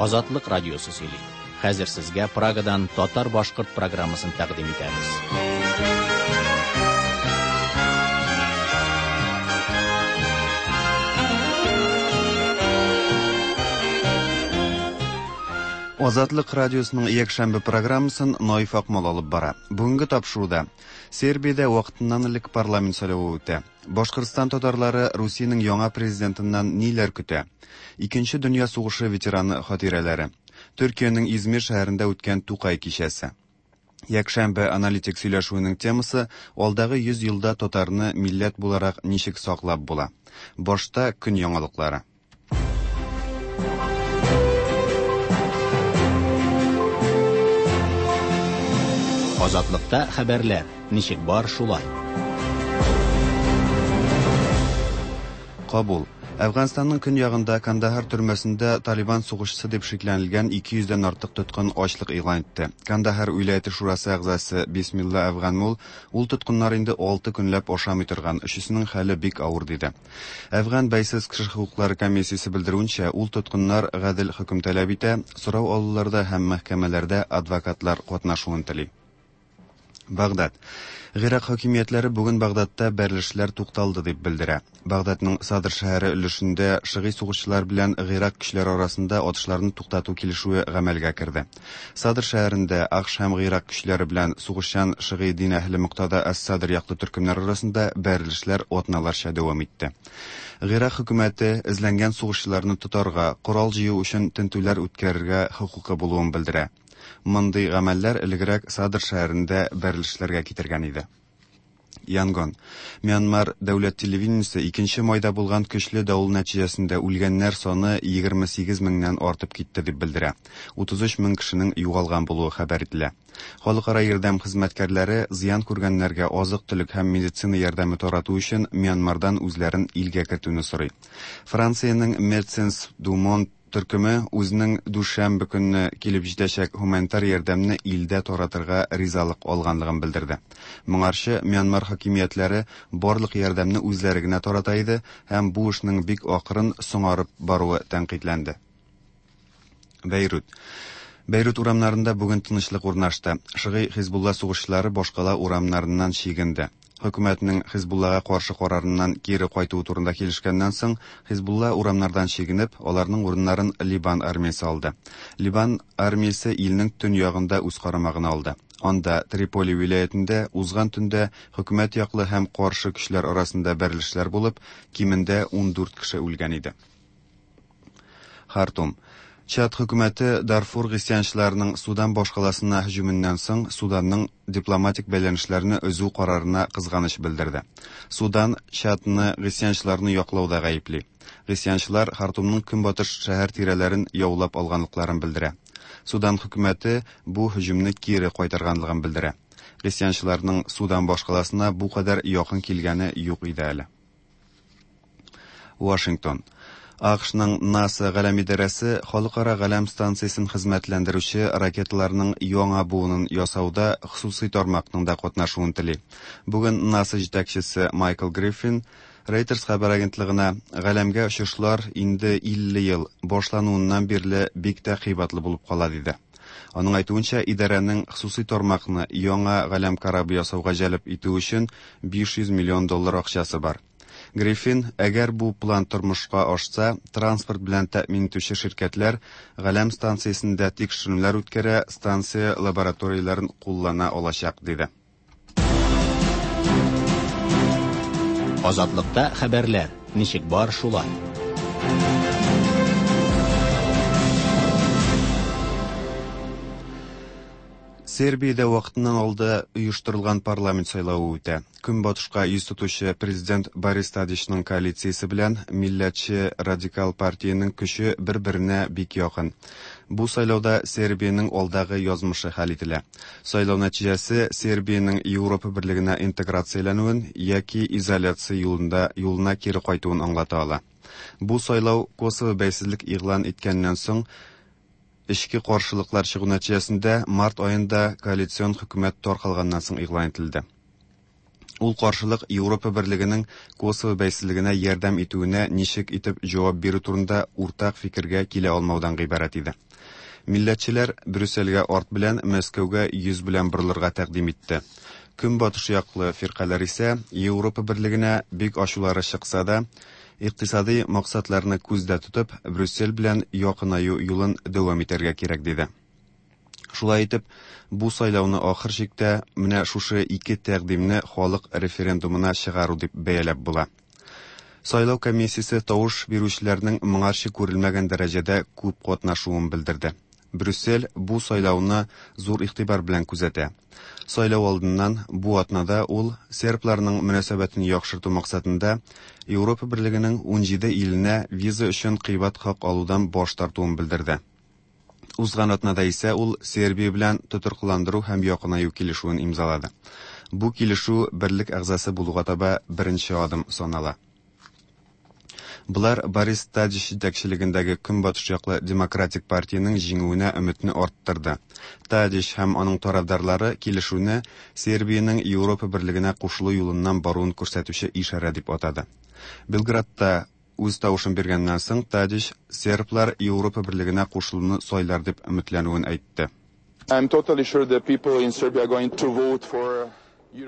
Азатлык радиосы сөйли. Хәзер сезгә Прагадан татар-башкорт программасын тәкъдим итәбез. Азатлык радиосының якшәмбе программасын Наиф Акмал алып бара. Бүгенге тапшыруда Сербиядә вакытыннан элек парламент сайлавы үтә. Башкортстан татарлары Русиянең яңа президентыннан ниләр көтә? Икенче дөнья сугышы ветераны хатирәләре. Төркиянең Измир шәһәрендә үткән Тукай кичәсе. Якшәмбе аналитик сөйләшүенең темасы алдагы 100 елда татарны милләт буларак ничек саклап була. Башта көн яңалыклары. Азатлыкта хәбәрләр ничек бар шулай. Кабул. Әфганстанның көньягында Кандахар төрмәсендә Талибан сугышчысы дип шикләнелгән 200 дән артык тоткын ачлык игълан итте. Кандахар вилаяте шурасы әгъзасы Бисмилла Әфганмул ул тоткыннар инде 6 көнләп ашамый торган, өчесенең хәле бик авыр диде. Әфган бәйсез кеше хокуклары комиссиясе белдерүенчә, ул тоткыннар гадел хөкем таләп итә, сорау алуларда һәм мәхкәмәләрдә адвокатлар катнашуын тели. Багдад. Гыйрак хакимиятләре бүген Багдадта бәрелешләр тукталды дип белдерә. Багдадның Садр шәһәре өлешендә шыгый сугышчылар белән Гыйрак көчләре арасында атышларны туктату килешүе гамәлгә керде. Садр шәһәрендә АКШ һәм Гыйрак көчләре белән сугышчан шыгый дин әһеле Муктада ас-Садр яклы төркемнәр арасында бәрелешләр атналарча дәвам итте. Гыйрак хөкүмәте эзләнгән сугышчыларны тотарга, корал җыю өчен тентүләр үткәрергә хокукы булуын белдерә. Мондый гамәлләр элегрәк Садр шәһәрендә бәрелешләргә китергән иде. Янгон. Мьянмар дәүләт телевидениесе 2 майда булган көчле давыл нәтиҗәсендә үлгәннәр саны 28 меңнән артып китте дип белдерә. 33 мең кешенең югалган булуы хәбәр ителә. Халыкара ярдәм хезмәткәрләре зыян күргәннәргә азык-төлек һәм медицина ярдәме тарату өчен Мьянмардан үзләрен илгә кертүне сорый. Франциянең Médecins du Monde төркеме үзенең дүшәмбе көнне килеп җитәчәк гуманитар ярдәмне илдә таратырга ризалык алганлыгын белдерде. Моңарчы Мьянмар хакимиятләре барлык ярдәмне үзләре генә тарата иде һәм бу эшнең бик акрын соңарып баруы тәнкыйтьләнде. Бәйрут. Бәйрут урамнарында бүген тынычлык урнашты. Шыгый Хизбулла сугышчылары башкала урамнарыннан чигенде. Хөкүмәтнең Хизбуллага каршы карарыннан кире кайтуы турында килешкәннән соң, Хизбулла урамнардан чигенеп, аларның урыннарын Либан армиясе алды. Либан армиясе илнең төньягында үз карамагына алды. Анда Триполи вилаятендә узган төндә хөкүмәт яклы һәм каршы көчләр арасында бәрелешләр булып, кимендә 14 кеше үлгән иде. Хартум. Чад хөкүмәте Дарфур гыйсьянчыларының Судан башкаласына һөҗүменнән соң Суданның дипломатик бәйләнешләрне өзү карарына кызганыч белдерде. Судан Чадны гыйсьянчыларны яклауда гаепли. Гыйсьянчылар Хартумның көнбатыш шәһәр тирәләрен яулап алганлыкларын белдерә. Судан хөкүмәте бу һөҗүмне кире кайтарганлыгын белдерә. Гыйсьянчыларның Судан башкаласына бу кадәр якын килгәне юк иде әле. Вашингтон. АКШның НАСА галәм идарәсе халыкара галәм станциясен хезмәтләндерүче ракеталарның яңа буынын ясауда хосусый тармакның да катнашуын тели. Бүген НАСА җитәкчесе Майкл Гриффин Reuters хәбәр агентлыгына галәмгә очышлар инде 50 ел башлануыннан бирле бик тә кыйбатлы булып кала диде. Аның әйтүенчә, идарәнең хосусый тармакны яңа галәм корабы ясауга җәлеп итү өчен 500 миллион доллар акчасы бар. Гриффин, әгәр бу план тормышка ашса, транспорт белән тәэмин итүче ширкәтләр галәм станциясендә тикшеренүләр үткәрә, станция лабораторияләрен куллана алачак, диде. Азатлыкта хәбәрләр ничек бар шулай. Сербиядә вакытыннан алда оештырылган парламент сайлавы үтә. Көнбатышка йөз тотучы президент Борис Тадичның коалициясе белән милләтче радикал партиянең көче бер-беренә бик якын. Бу сайлауда Сербиянең алдагы язмышы хәл ителә. Сайлау нәтиҗәсе Сербиянең Европа берлегенә интеграцияләнүен яки изоляция юлында юлына кире кайтуын аңлата ала. Бу сайлау Косово бәйсезлек игълан иткәннән соң эчке каршылыклар чыгу нәтиҗәсендә март аенда коалицион хөкүмәт таркалганнан соң игълан ителде. Ул каршылык Европа Берлегенең Косово бәйсезлегенә ярдәм итүенә ничек итеп җавап бирү турында уртак фикергә килә алмаудан гыйбарәт иде. Милләтчеләр Брюссельгә арт белән, Мәскәүгә йөз белән борылырга тәкъдим итте. Көнбатыш яклы фиркаләр исә Европа Берлегенә бик ачулары чыкса да, икътисадый максатларны күздә тотып, Брюссель белән якынаю юлын дәвам итәргә кирәк диде. Шулай итеп, бу сайлауны ахыр чиктә менә шушы ике тәкъдимне халык референдумына чыгару дип бәяләп була. Сайлау комиссиясе тавыш бирүчеләрнең моңарчы күрелмәгән дәрәҗәдә күп катнашуын белдерде. Брюссель бу сайлауны зур игътибар белән күзәтә. Сайлау алдыннан бу атнада ул сербларның мөнәсәбәтен яхшырту максатында Европа Берлегенең 17 иленә виза өчен кыйбат хак алудан баш тартуын белдерде. Узган атнада исә ул Сербия белән тотрыклыландыру һәм якынаю килешүен имзалады. Бу килешү берлек әгъзасы булуга таба беренче адым санала. Болар Борис Тадич җитәкчелегендәге Көнбатыш яклы Демократик партиянең җиңүенә өметне арттырды. Тадич һәм аның тарафдарлары килешүне Сербиянең Европа Берлегенә кушылу юлыннан баруын күрсәтүче ишарә дип атады. Белградта үз тавышын биргәннән соң Тадич серблар Европа Берлегенә кушылуны сайлар дип өметләнүен әйтте. I'm totally sure that people in Serbia are going to vote for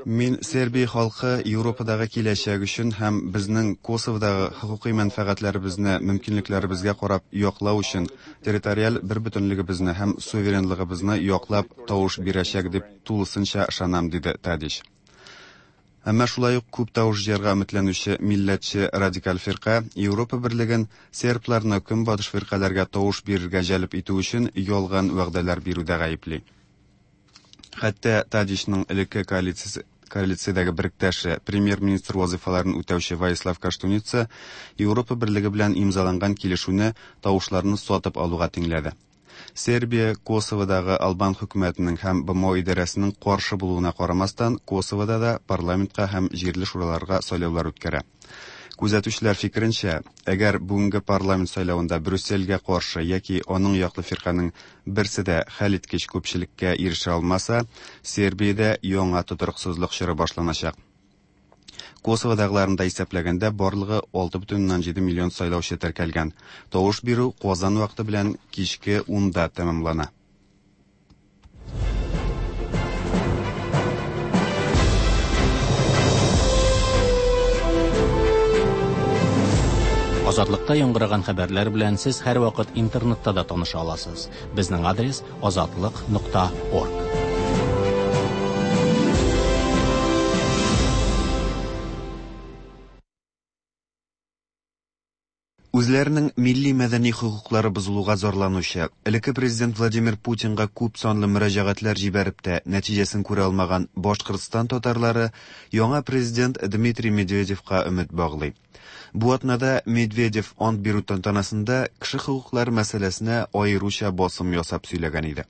Мин Сербия халкы Европадагы киләчәк өчен һәм безнең Косоводагы хокукый мәнфәгатьләребезне мөмкинлекләребезгә карап яклау өчен территориаль бербөтенлегебезне һәм суверенлыгыбызны яклап тавыш бирәчәк дип тулысынча ышанам, диде Тадич. Әмма шулай ук күп тавыш җыярга өметләнүче милләтче радикаль фирка Европа Берлеген сербларны көнбатыш фиркаләргә тавыш бирергә җәлеп итү өчен ялган вәгъдәләр бирүдә гаепли. Хәтта Тадичның элекке коалициядәге беректәше, премьер-министр вазыйфаларын үтәүче Воислав Коштуница Европа Берлеге белән имзаланган килешүне тавышларны сатып алуга тиңләде. Сербия Косоводагы албан хөкүмәтенең һәм БМО идарәсенең каршы булуына карамастан, Косовода да парламентка һәм җирле шураларга сайлаулар үткәрә. Күзәтүчеләр фикеренчә, әгәр бүгенге парламент сайлавында Брюссельгә каршы яки аның яклы фирканың берсе дә хәлиткеч күпчелеккә ирешә алмаса, Сербиядә яңа тотрыксызлык чоры башланачак. Косоводагыларын да исәпләгәндә барлыгы 6,7 миллион сайлаучы теркәлгән. Тавыш бирү Казан вакыты белән кичке 10-да тәмамлана. Азатлыкта яңгыраган хәбәрләр белән сез һәрвакыт интернетта да таныша аласыз. Безнең адрес azatliq.org. Үзләренең милли мәдәни хокуклары бозылуга зарланучы, элекке президент Владимир Путинга күп санлы мөрәҗәгатьләр җибәреп тә нәтиҗәсен күрә алмаган Башкортстан татарлары яңа президент Дмитрий Медведевка өмет баглый. Бу атнада Медведев ант бирү тантанасында кеше хокуклары мәсьәләсенә аеруча басым ясап сөйләгән иде.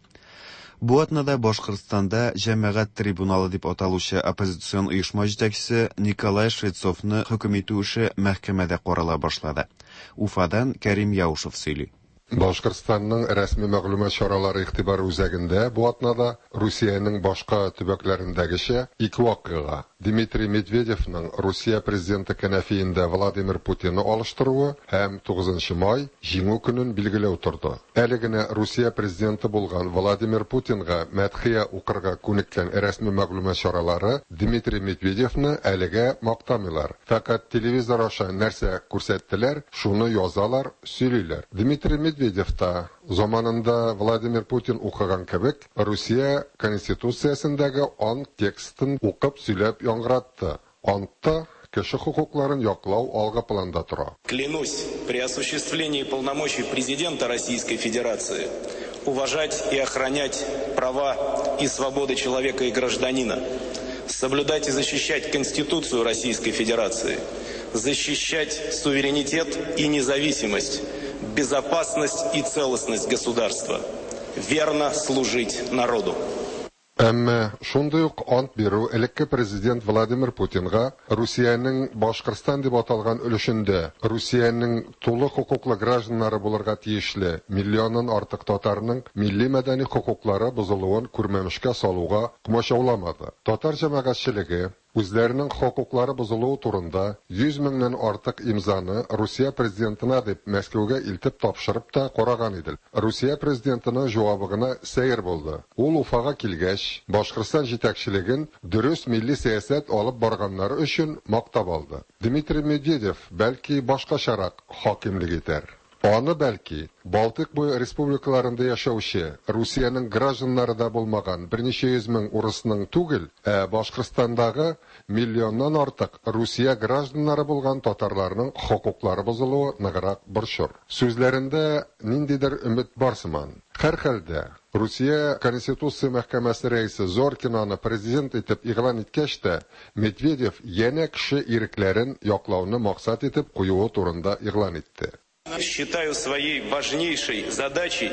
Бу атнада Башкортстанда җәмәгать трибуналы дип аталучы оппозицион оешма җитәкчесе Николай Швецовны хөкем итү эше мәхкәмәдә карала башлады. Уфадан Кәрим Яушев сөйли. Башкортстанның рәсми мәгълүмат чаралары игътибары үзәгендә бу атнада Русиянең башка төбәкләрендәгечә ике вакыйга: Дмитрий Медведевның Русия президенты кәнәфиендә Владимир Путинны алыштыруы һәм 9 май Җиңү көнен билгеләү торды. Әле генә Русия президенты булган Владимир Путинга мәдхия укырга күнеккән рәсми мәгълүмат чаралары Дмитрий Медведевны әлегә мактамыйлар. Фәкать телевизор аша нәрсә күрсәттеләр, шуны язалар, сөйлиләр. Дмитрий Медведев та заманында Владимир Путин укыган кебек Русия Конституциясендәге ант текстын укып сөйләп яңгыратты. Антта кеше хокукларын яклау алгы планда тора. Клянусь при осуществлении полномочий президента Российской Федерации уважать и охранять права и свободы человека и гражданина, соблюдать и защищать Конституцию Российской Федерации, защищать суверенитет и независимость, безопасность и целостность государства, верно служить народу. Әмма шундый ук ант бирү элекке президент Владимир Путинга Русиянең Башкортстан дип аталган өлешендә Русиянең тулы хокуклы гражданнары булырга тиешле миллионнан артык татарның милли мәдәни хокуклары бозылуын күрмәмешкә салуга комачауламады. Татар җәмәгатьчелеге Үзләренең хокуклары бозылуы турында 100 меңнән артык имзаны Русия президентына дип Мәскәүгә илтеп тапшырып та караган иде. Русия президентының җавабы гына сәер булды. Ул Уфага килгәч, Башкортстан җитәкчелеген дөрес милли сәясәт алып барганнары өчен мактап алды. Дмитрий Медведев, бәлки, башкачарак хакимлек итәр. Аны, бәлки, Балтыйк буе республикаларында яшәүче, Русиянең гражданнары да булмаган берничә йөз мең урысның түгел, ә Башкортстандагы миллионнан артык Русия гражданнары булган татарларның хокуклары бозылуы ныграк борчыр. Сүзләрендә ниндидер өмет бар сыман. Һәрхәлдә, Русия Конституция мәхкәмәсе рәисе Зоркинаны президент итеп игълан иткәч тә, Медведев янә кеше ирекләрен яклауны максат итеп куюы турында игълан итте. Считаю своей важнейшей задачей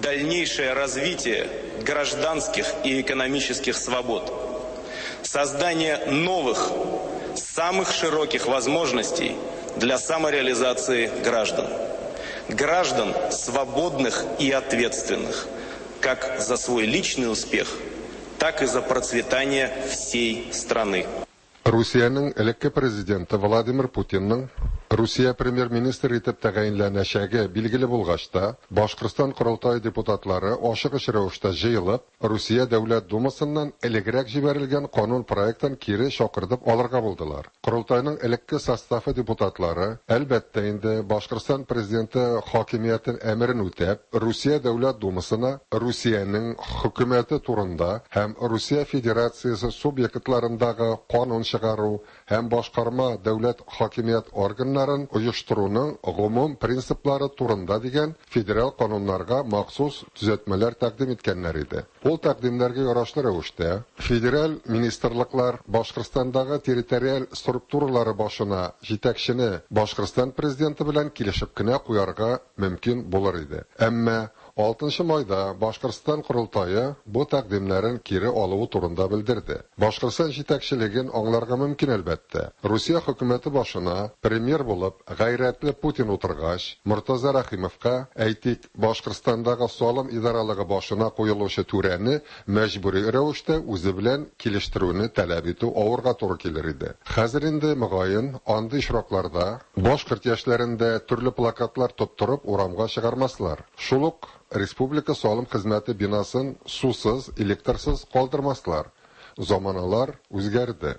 дальнейшее развитие гражданских и экономических свобод, создание новых, самых широких возможностей для самореализации граждан. Граждан свободных и ответственных, как за свой личный успех, так и за процветание всей страны. Русиянең элекке президенты Владимир Путинның Русия премьер-министры итеп тәгаенләнәчәге билгеле булгач та, Башкортстан Корылтае депутатлары ашыгыч рәвештә җыелып, Русия Дәүләт Думасыннан элегрәк җибәрелгән канун проектын кире чакыртып алырга булдылар. Корылтайның элекке составы депутатлары, әлбәттә инде, Башкортстан президенты хакимиятен әмерен үтәп, Русия Дәүләт Думасына Русиянең хөкүмәте турында һәм Русия Федерациясе субъектларындагы канун чыгару һәм башкарма дәүләт хакимият органнарын оештыруның гомум принциплары турында дигән федераль кануннарга махсус төзәтмәләр тәкъдим иткәннәр иде. Ул тәкъдимнәргә ярашлы рәвештә федераль министрлыклар Башкортстандагы территориаль структуралары башына җитәкчене Башкортстан президенты белән килешеп кенә куярга мөмкин булыр иде. Әмма 6 майда Башкортстан Корылтае бу тәкъдимнәрен кире алуы турында белдерде. Башкортстан җитәкчелеген аңларга мөмкин, әлбәттә. Русия хөкүмәте башына премьер булып гайрәтле Путин утыргач, Мортаза Рәхимовка, әйтик, Башкортстандагы салым идаралыгы башына куелучы түрәне мәҗбүри рәвештә үзе белән килештерүне таләп итү авырга туры килер иде. Хәзер инде, мөгаен, андый очракларда башкорт яшьләрен дә төрле плакатлар тоттырып урамга чыгармаслар. Шул ук республика салым хезмәте бинасын сусыз, электрсыз калдырмаслар. Заманалар үзгәрде.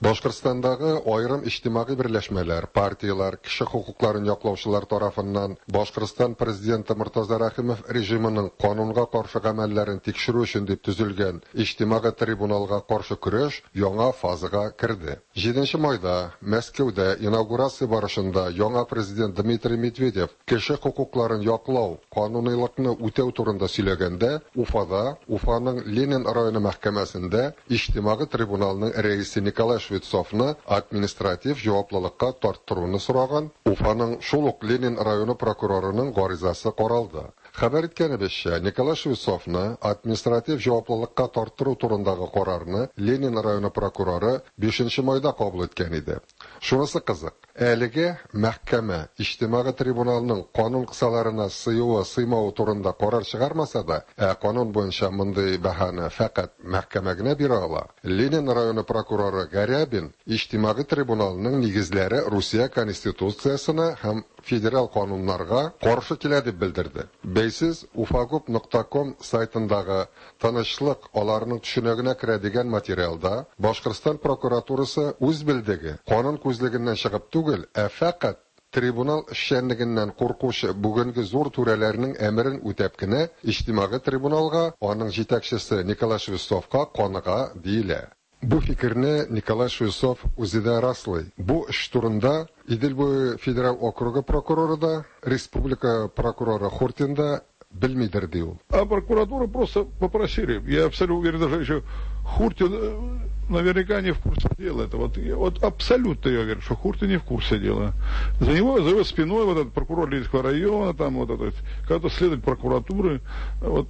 Башкортстандагы аерым иҗтимагый берләшмәләр, партияләр, кеше хокукларын яклаучылар тарафыннан Башкортстан президенты Мортаза Рәхимов режимының канунга каршы гамәлләрен тикшерү өчен дип төзелгән иҗтимагый трибуналга каршы көрәш яңа фазага керде. 7 майда Мәскәүдә инаугурация барышында яңа президент Дмитрий Медведев кеше хокукларын яклау, канунилыкны үтәү турында сөйләгәндә, Уфада, Уфаның Ленин районы мәхкәмәсендә иҗтимагый трибуналның рәисе Николай Швецовны административ җаваплылыкка тарттыруны сораган Уфаның шул ук Ленин районы прокурорының гаризасы каралды. Хәбәр иткәнебезчә, Николай Швецовны административ җаваплылыкка тарттыру турындагы карарны Ленин районы прокуроры 5 майда кабул иткән иде. Шунысы кызык, әлеге мәхкәмә иҗтимагый трибуналның канун кысаларына сыюы, сыймавы турында карар чыгармаса да, ә канун буенча мондый бәһаны фәкать мәхкәмә генә бирә ала. Ленин районы прокуроры Гарябин иҗтимагый трибуналның нигезләре Русия Конституциясенә һәм федераль кануннарга каршы килә дип белдерде. Бәйсез ufagub.com сайтындагы тынычлык аларның төшенегенә керә дигән материалда Башкортстан прокуратурасы үз белдеге канун күзлегеннән чыгып түгел, ә фәкать трибунал эшчәнлегеннән куркучы бүгенге зур түрәләрнең әмерен үтәп кенә иҗтимагый трибуналга, аның җитәкчесе Николай Швецовка каныга диелә. Бу фикерне Николай Швецов үзе дә раслый. Бу эш турында Идел буе федераль округы прокуроры да, республика прокуроры Хуртин да белмидер, ди ул. А прокуратуру просто попросили. Я абсолютно уверен, даже еще Хуртин наверняка не в курсе дела. Это вот абсолютно я уверен, что Хуртин не в курсе дела. За него, за его спиной вот этот прокурор Ленинского района, там вот этот, когда-то следователь прокуратуры, вот,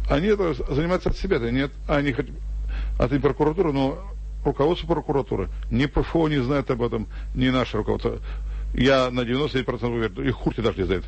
они это занимаются от себя, да нет, они хоть от прокуратуры, но руководство прокуратуры, ни ПФО не знает об этом, ни наше руководство. Я на 99% уверен, и Хуртин даже не знает.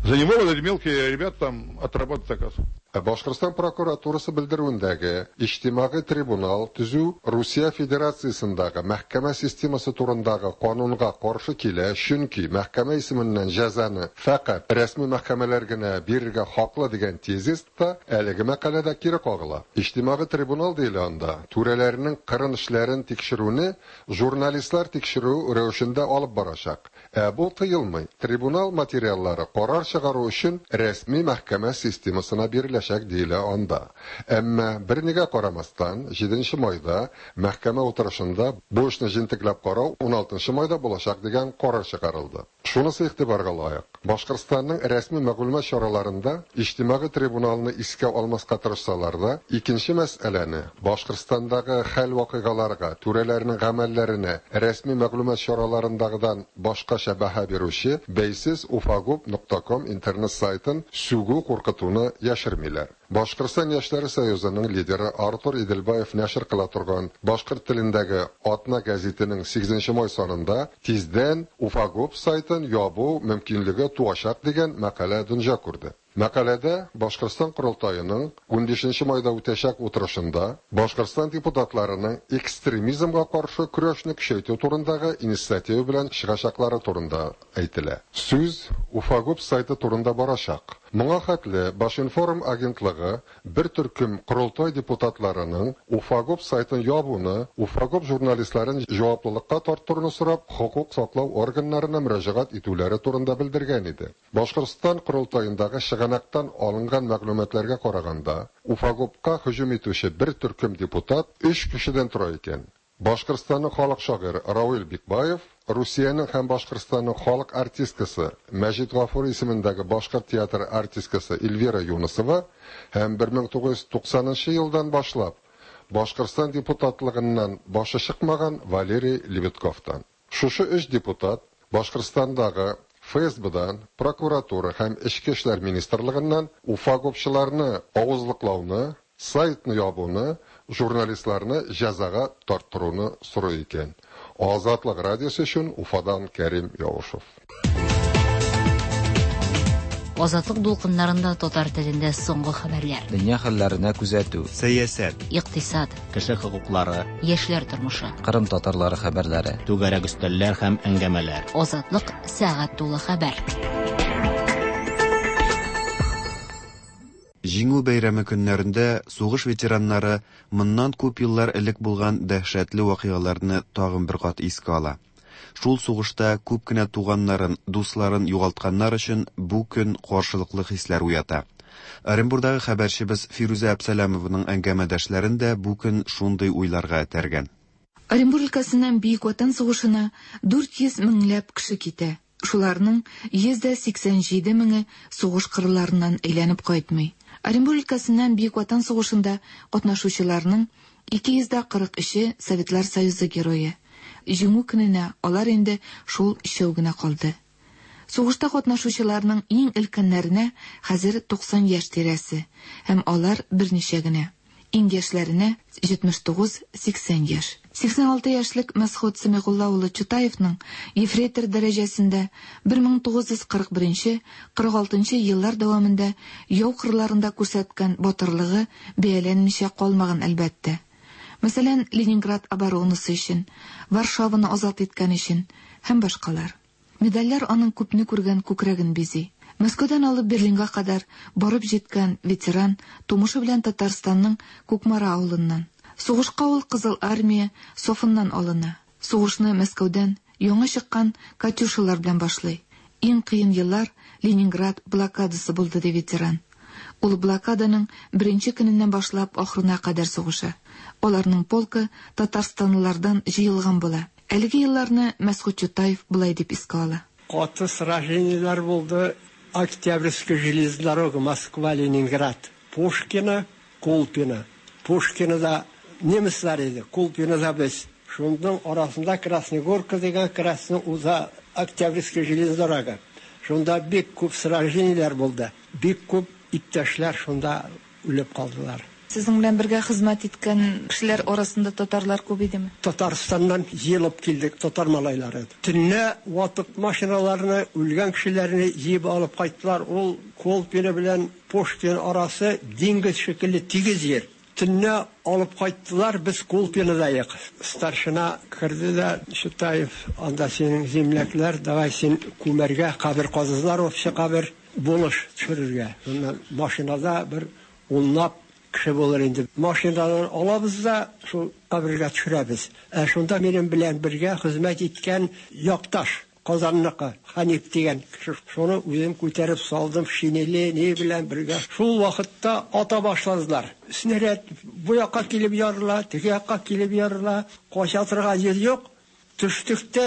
За него вот эти мелкие ребята там отрабатывают заказ. Ә Башкортстан прокуратурасы белдерүендәге иҗтимагый трибунал төзү Русия Федерациясендәге мәхкәмә системасы турындагы канунга каршы килә, чөнки мәхкәмә исеменнән җәзаны фәкать рәсми мәхкәмәләр генә бирергә хаклы дигән тезис та әлеге мәкаләдә кире кагыла. Иҗтимагый трибунал диелә анда, түрәләрнең кырын эшләрен тикшерүне журналистлар тикшерү рәвешендә алып барачак. Ә бу тыелмый. Трибунал материаллары карар чыгару өчен рәсми мәхкәмә системасына биреләчәк диелә анда. Әмма бернигә карамастан, 7 майда мәхкәмә утырышында бу эшне җентекләп карау 16 майда булачак дигән карар чыгарылды. Шунысы игътибарга лаек. Башкортстанның рәсми мәгълүмат чараларында иҗтимагый трибуналны искә алмаска тырышсалар да, икенче мәсьәләне Башкортстандагы хәл-вакыйгаларга, түрәләрнең гамәлләренә рәсми мәгълүмат чараларындагыдан башкача бәһа бирүче бәйсез ufagub.com интернет сайтын сүгү куркытуны яшермиләр. Башкортстан яшьләре союзының лидеры Артур Иделбаев нәшер кыла торган башкорт телендәге Атна гәзитенең 8 май санында тиздән Уфагуб сайтын ябу мөмкинлеге туачак дигән мәкалә дөнья күрде. Мәкаләдә Башкортстан Корылтаеның 15 майда үтәчәк утырышында Башкортстан депутатларының экстремизмга каршы көрәшне көчәйтү турындагы инициатива белән чыгачаклары турында әйтелә. Сүз Уфагуб сайты турында барачак. Моңа хәтле Башинформ агентлыгы бер төркем Корылтай депутатларының Уфагуб сайтын ябуны, Уфагуб журналистларын җаваплылыкка тарттыруны сорап, хокук саклау органнарына мөрәҗәгать итүләре турында белдергән иде. Башкортстан Корылтаендагы чыганактан алынган мәгълүматларга караганда, Уфагубка һөҗүм итүче бер төркем депутат 3 кешедән тора икән. Башкортстанның халык шагыйре Равил Бикбаев, Русиянең һәм Башкортстанның халык артисткасы Мәҗит Гафури исемендәге башкорт театры артисткасы Эльвира Юнысова һәм 1990 елдан башлап Башкортстан депутатлыгыннан башы чыкмаган Валерий Лебедковтан. Шушы 3 депутат Башкортстандагы ФСБдан, прокуратура һәм Эчке эшләр министрлыгыннан уфагубчыларны авызлыклауны, сайтны ябуны, журналистларны җәзага тарттыруны сорый икән. Азатлык радиосы өчен Уфадан Кәрим Яушев. Азатлык дулкыннарында татар телендә соңгы хәбәрләр. Дөнья хәлләренә күзәтү. Сәясәт. Икътисад. Кеше хокуклары. Яшьләр тормышы. Кырым татарлары хәбәрләре. Түгәрәк өстәлләр һәм әңгәмәләр. Азатлык сәгать тулы хәбәр. Җиңү бәйрәме көннәрендә сугыш ветераннары моннан күп еллар элек булган дәһшәтле вакыйгаларны тагын бер кат искә ала. Шул сугышта күп кенә туганнарын, дусларын югалтканнар өчен бу көн каршылыклы хисләр уята. Оренбурдагы хәбәрчебез Фирүзә Әпсәләмованың әңгәмәдәшләрен дә бу көн шундый уйларга этәргән. Оренбур өлкәсеннән Бөек Ватан сугышына 400 меңләп кеше китә. Шуларның 187 меңе сугыш кырларыннан әйләнеп кайтмый. Оренбур өлкәсеннән Бөек Ватан сугышында катнашучыларның 243-е Советлар Союзы герое. Җиңү көненә алар инде шул өчәү генә калды. Сугышта катнашучыларның иң өлкәннәренә хәзер 90 яшь тирәсе, һәм алар берничә генә. Иң яшьләренә 79-80 яшь. 86 яшьлек Мәсхүт Сәмигулла улы Чутаевның ефрейтор дәрәҗәсендә 1941-46 еллар дәвамында яу кырларында күрсәткән батырлыгы бәяләнмичә калмаган әлбәттә. Мәсәлән, Ленинград оборонасы өчен, Варшаваны азат иткән өчен һәм башкалар. Медальләр аның күпне күргән күкрәген бизи. Мәскәүдән алып Берлинга кадәр барып җиткән ветеран тумышы белән Татарстанның Кукмара авылыннан. Сугышка ул Кызыл армия сафыннан алына. Сугышны Мәскәүдән яңа чыккан Катюшалар белән башлый. Иң кыен еллар Ленинград блокадасы булды, ди ветеран. Ул блокаданың беренче көненнән башлап ахырына кадәр сугыша. Аларның полкы татарстанлылардан җыелган була. Әлеге елларны Мәсхүт Чутаев болай дип искә ала. Каты сражениеләр булды. Октябрьская железная дорога Москва-Ленинград. Пушкино, Колпино. Пушкинода немецлар иде, Колпинода без. Шуның арасында Красная Горка дигән Красный уза Октябрьская железная дорога. Шунда бик күп сражениеләр булды. Бик күп иптәшләр шунда үлеп калдылар. Сезнең белән бергә хезмәт иткән кешеләр арасында татарлар күп идеме? Татарстаннан җыелып килдек, татар малайлары. Төнлә ватык машиналарны, үлгән кешеләрне җыеп алып кайттылар. Ул Колпино белән Пушкин арасы диңгез шикелле тигез җир. Төнлә алып кайттылар, без Колпинодаек. Старшина керде дә, Чутаев, анда синең земляклар, давай син күмәргә, кабер казыдылар, общий кабер, булыш төшерергә. Шуннан машинада бер унлап кеше булыр инде. Машинадан алабыз да шул кабергә төшерәбез. Ә шунда минем белән бергә хезмәт иткән якташ, Казанныкы, Хәниф дигән кеше. Шуны үзем күтәреп салдым, шинеле, ни белән бергә. Шул вакытта ата башладылар. Снаряд бу якка килеп ярыла, теге якка килеп ярыла. Кача торган җир юк. Төштек тә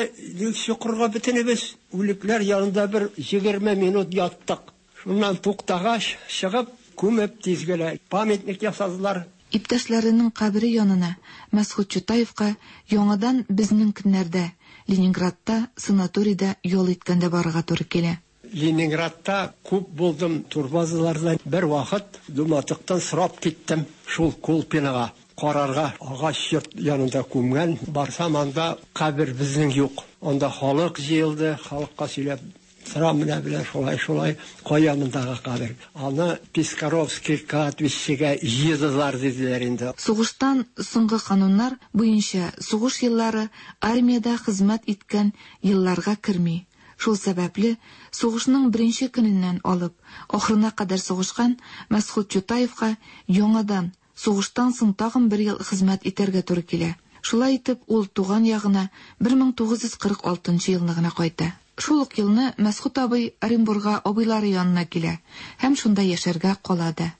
чокырга бөтенебез. Үлекләр янында бер 20 минут яттык. Шуннан туктагач, чыгып, күмеп тиз генә памятник ясадылар. Иптәшләренең кабере янына Мәсгуть Чутаевка яңадан безнең көннәрдә, Ленинградта санаторийда ял иткәндә барырга туры килә. Ленинградта күп булдым, турбазаларда бер вакыт Думатыктан сорап киттем шул Колпинога карарга, агач йорт янында күмгән. Барсам, анда кабер безнең юк. Анда халык җыелды, халыкка сөйләп торам менә белән шулай-шулай, кая мондагы кабер. Аны Пискаровский кладбищегә җыйдылар диделәр инде. Сугыштан соңгы кануннар буенча сугыш еллары армиядә хезмәт иткән елларга керми. Шул сәбәпле, сугышның беренче көненнән алып ахырына кадәр сугышкан Мәсгуть Чутаевка яңадан сугыштан соң тагын бер ел хезмәт итәргә туры килә. Шулай итеп, ул туган ягына 1946 елны гына кайта. Шул ук елны Мәсгуть абый Оренбурга абыйлары янына килә һәм шунда яшәргә кала да.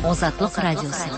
Азатлык радиосы.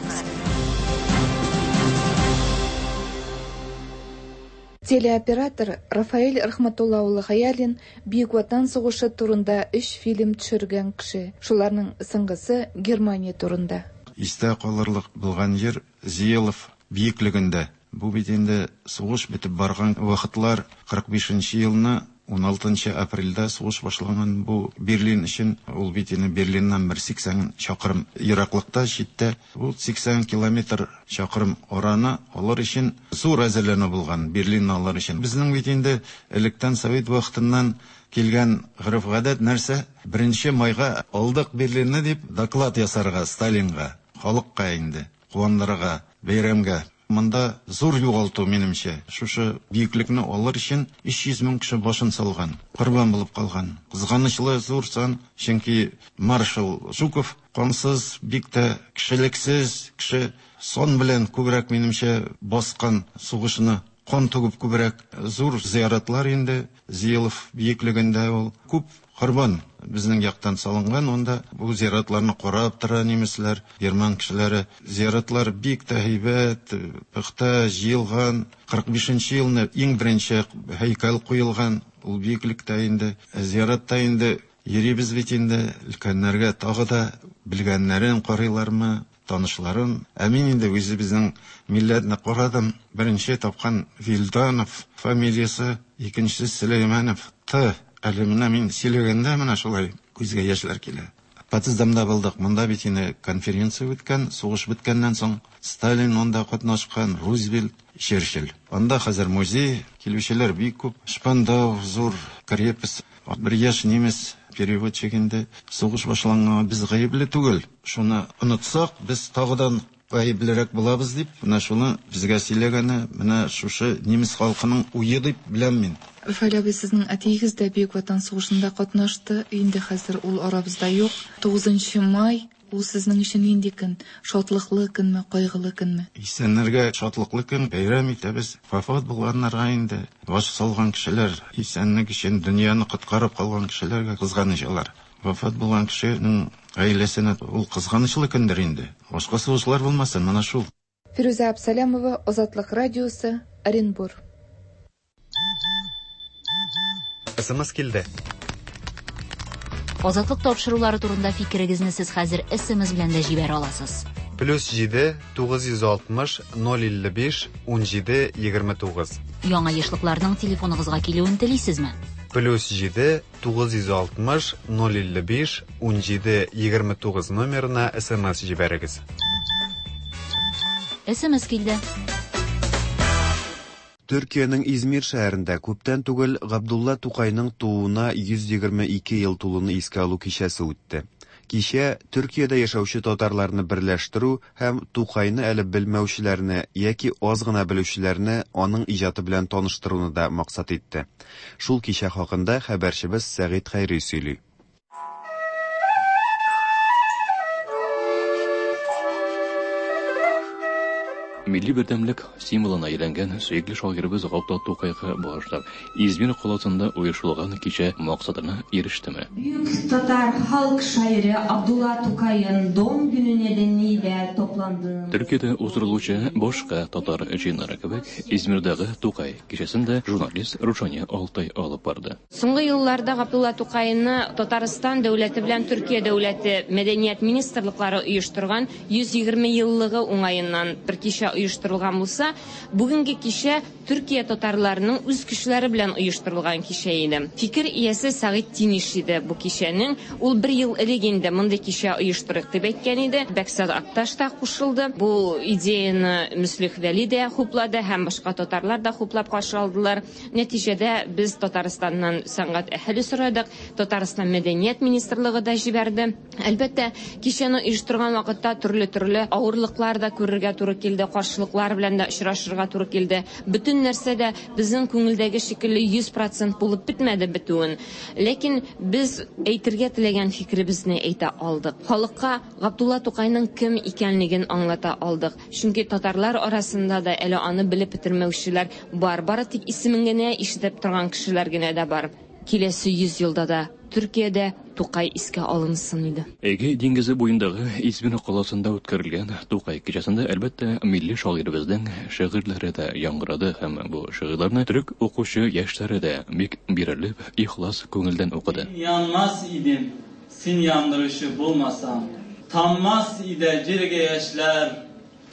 Телеоператор Рафаэль Рахматулла улы Хәялин Бөек Ватан сугышы турында 3 фильм төшергән кеше. Шуларның соңгысы Германия турында. Истә калырлык булган җир Зиелов биеклегендә. Бу бит инде сугыш бетеп барган вакытлар, 45 елны 16 апрельдә сугыш башланган бу Берлин өчен, ул бит инде Берлиннан бер 80 чакрым ераклыкта, читтә. Бу 80 километр чакрым араны алыр өчен зур әзерләнү булган, Берлинны алыр өчен. Безнең бит инде электән совет вакытыннан килгән гореф-гадәт нәрсә? 1 майга алдык Берлинны дип доклад ясарга Сталинга, халыкка инде, куандырырга, бәйрәмгә. Монда зур югалту, минемчә. Шушы биеклекне алыр өчен 300 мең кеше башын салган, корбан булып калган. Кызганычлы зур сан, чөнки маршал Жуков кансыз, бик тә кешелексез кеше, сан белән күбрәк, минемчә, баскан сугышны, кан түгеп күбрәк. Зур зыяратлар инде Зиелов биеклегендә ул күп корбан безнең яктан салынган, онда бу зыяратларны карап тора немецләр, герман кешеләре. Зыяратлар бик тә һәйбәт, пөхтә җыелган. 45 елны иң беренче һәйкәл куелган ул биеклектә инде. Зыяратта инде йөрибез бит инде, өлкәннәргә тагы да белгәннәрен карыйлармы, танышларын. Ә мин инде үзебезнең милләтне карадым. Беренче тапкан Вилданов фамилиясе, икенчесе Сөләйманов Т. Әле менә мин сөйләгәндә менә шулай күзгә яшьләр килә. Потсдамда булдык. Монда бит инде конференция үткән, сугыш беткәннән соң Сталин монда катнашкан, Рузвельт, Черчилль. Анда хәзер музей, килүчеләр бик күп. Шпандау зур крепость. Бер яшь немец переводчик инде. Сугыш башланганга без гаепле түгел. Шуны онытсак, без тагыдан гаеплерәк булабыз дип, менә шуны безгә сөйләгәне, менә шушы немец халкының уе дип беләм мин. Рафаэль абый, сезнең әтиегез дә Бөек Ватан сугышында катнашты. Инде хәзер ул арабызда юк. 9 май ул сезнең өчен нинди көн? Шатлыклы көнме, кайгылы көнме? Исәннәргә шатлыклы көн, бәйрәм итәбез. Вафат булганнарга инде баш салган кешеләр, исәнлек өчен дөньяны коткарып калган кешеләргә кызганыч алар. Вафат булган кешенең гаиләсенә ул кызганычлы көндер инде. Башка сугышлар булмасын, менә шул. Фирүзә Абсалямова, Азатлык радиосы, Оренбур. СМС килде. Азатлык тапшырулары турында фикерегезне сез хәзер СМС белән дә җибәрә аласыз. Плюс 7 960 055 17 29. Яңа ешлыкларның телефоныгызга килүен телисезме? +7 960 055 17 29 номерына SMS җибәрегез. SMS килде. Төркиянең Измир шәһәрендә күптән түгел Габдулла Тукайның тууына 122 ел тулуны искә алу кичәсе үтте. Кичә Төркиядә яшәүче татарларны берләштерү һәм Тукайны әле белмәүчеләрне яки аз гына белүчеләрне аның иҗаты белән таныштыруны да максат итте. Шул кичә хакында хәбәрчебез Сәгыйть Хәйри сөйли. Милли бердәмлек символына әйләнгән сөекле шагыйребез Габдулла Тукайга багышлап, Измир каласында оештырылган кичә максатына ирештеме? Büyük Tatar halk şairi Abdullah Tukay'ın doğum günü nedeniyle toplandığımız Төркиядә уздырылучы башка татар җыеннары кебек, Измирдәге Тукай кичәсен дә журналист Рушания Алтай алып барды. Соңгы елларда Габдулла Тукайны Татарстан дәүләте белән Төркия дәүләте мәдәният министрлыклары оештырган 120 еллыгы уңаеннан бер кичә оештырылган булса, бүгенге кичә Төркия татарларының үз көчләре белән оештырылган кичә иде. Фикер иясе Сәгыйть Тиниш иде бу кичәнең. Ул бер ел элек инде мондый кичә оештырыйк дип әйткән иде. Бәксат Акташ та кушылды. Бу идеяны Мөслих Вәли дә хуплады һәм башка татарлар да хуплап каршы алдылар. Нәтиҗәдә без Татарстаннан сәнгать әһеле сорадык. Татарстан мәдәният министрлыгы да җибәрде. Әлбәттә, кичәне оештырган вакытта төрле-төрле авырлыклар да күрергә туры килде, каршылыклар белән дә очрашырга туры килде. Бөтен нәрсә дә безнең күңелдәге шикелле 100% булып бетмәде бетүен. Ләкин без әйтергә теләгән фикеребезне әйтә алдык. Халыкка Габдулла Тукайның кем икәнлеген аңлата алдык. Чөнки татарлар арасында да әле аны белеп бетермәүчеләр бар. Бары тик исемен генә ишетеп торган кешеләр генә дә бар. Киләсе 100 елда да Төркиядә Тукай искә алынсын иде. Эгей диңгезе буендагы Измир каласында үткәрелгән Тукай кичәсендә, әлбәттә, милли шагыйребезнең шигырьләре дә яңгырады һәм бу шигырьләрне төрек укучы яшьләре дә бик бирелеп, ихлас күңелдән укыды. Yanmaz idim sin yandırışı bulmasam. Tammaz ide cirge yaşlar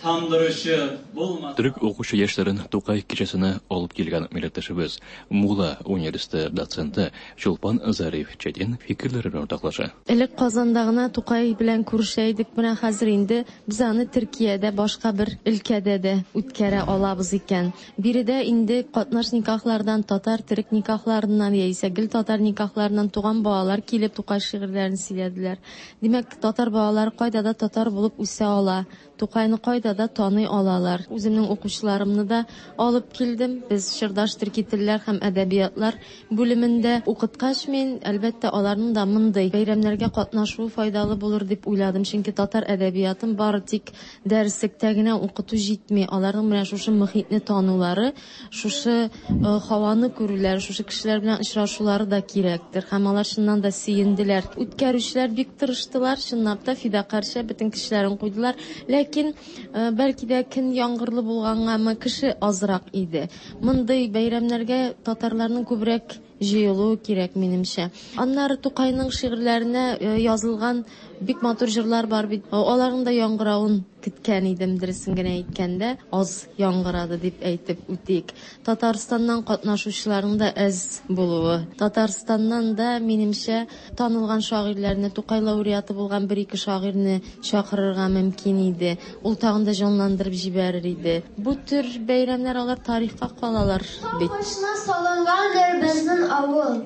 tamdırışı bulmasam. Төрек укучы яшьләрен Тукай кичәсенә алып килгән милләттәшебез Мула университеты доценты Чулпан Зариф Четин фикерләре белән уртаклаша. Элек Казанда гына Тукай белән күрешә идек, менә хәзер инде без аны Төркиядә башка бер өлкәдә дә үткәрә алабыз икән. Биредә инде катнаш никахлардан, татар төрек никахларыннан яисә гел татар никахларыннан туган балалар килеп Тукай шигырьләрен сөйләделәр. Димәк, татар балалары кайда да татар булып үсә ала. Тукайны кайда да таный алалар. Үземнең укучыларымны да алып килдем. Без чордаш төрки телләр һәм әдәбиятлар бүлемендә укыткач, мин, әлбәттә, аларның да мондый бәйрәмнәргә катнашуы файдалы булыр дип уйладым. Чөнки татар әдәбиятын бары тик дәреслектә генә укыту җитми. Аларның менә шушы мөхитне танулары, шушы һаваны күрүләре, шушы кешеләр белән очрашулары да кирәктер. Һәм алар чыннан да сөенделәр. Үткәрүчеләр бик тырыштылар, чынлап та фидакарча бөтен кешеләрен куйдылар. Ләкин бәлки дә көн яңгырлы булгангамы, кеше азрак иде. Мондый бәйрәмнәргә татарларның күбрәк җыелуы кирәк минемчә. Аннары Тукайның шигырьләренә язылган бик матур җырлар бар бит. Аларның да яңгыравын көткән идем, дөресен генә әйткәндә, аз яңгырады дип әйтеп үтик. Татарстаннан катнашучыларның да әз булуы. Татарстаннан да минемчә танылган шагыйрьләрне, Тукай лауреаты булган бер-ике шагыйрьне чакырырга мөмкин иде. Ул тагын да җанландырып җибәрер иде. Бу төр бәйрәмнәр алар тарихка калалар бит. Башына салынгандыр безнең авыл.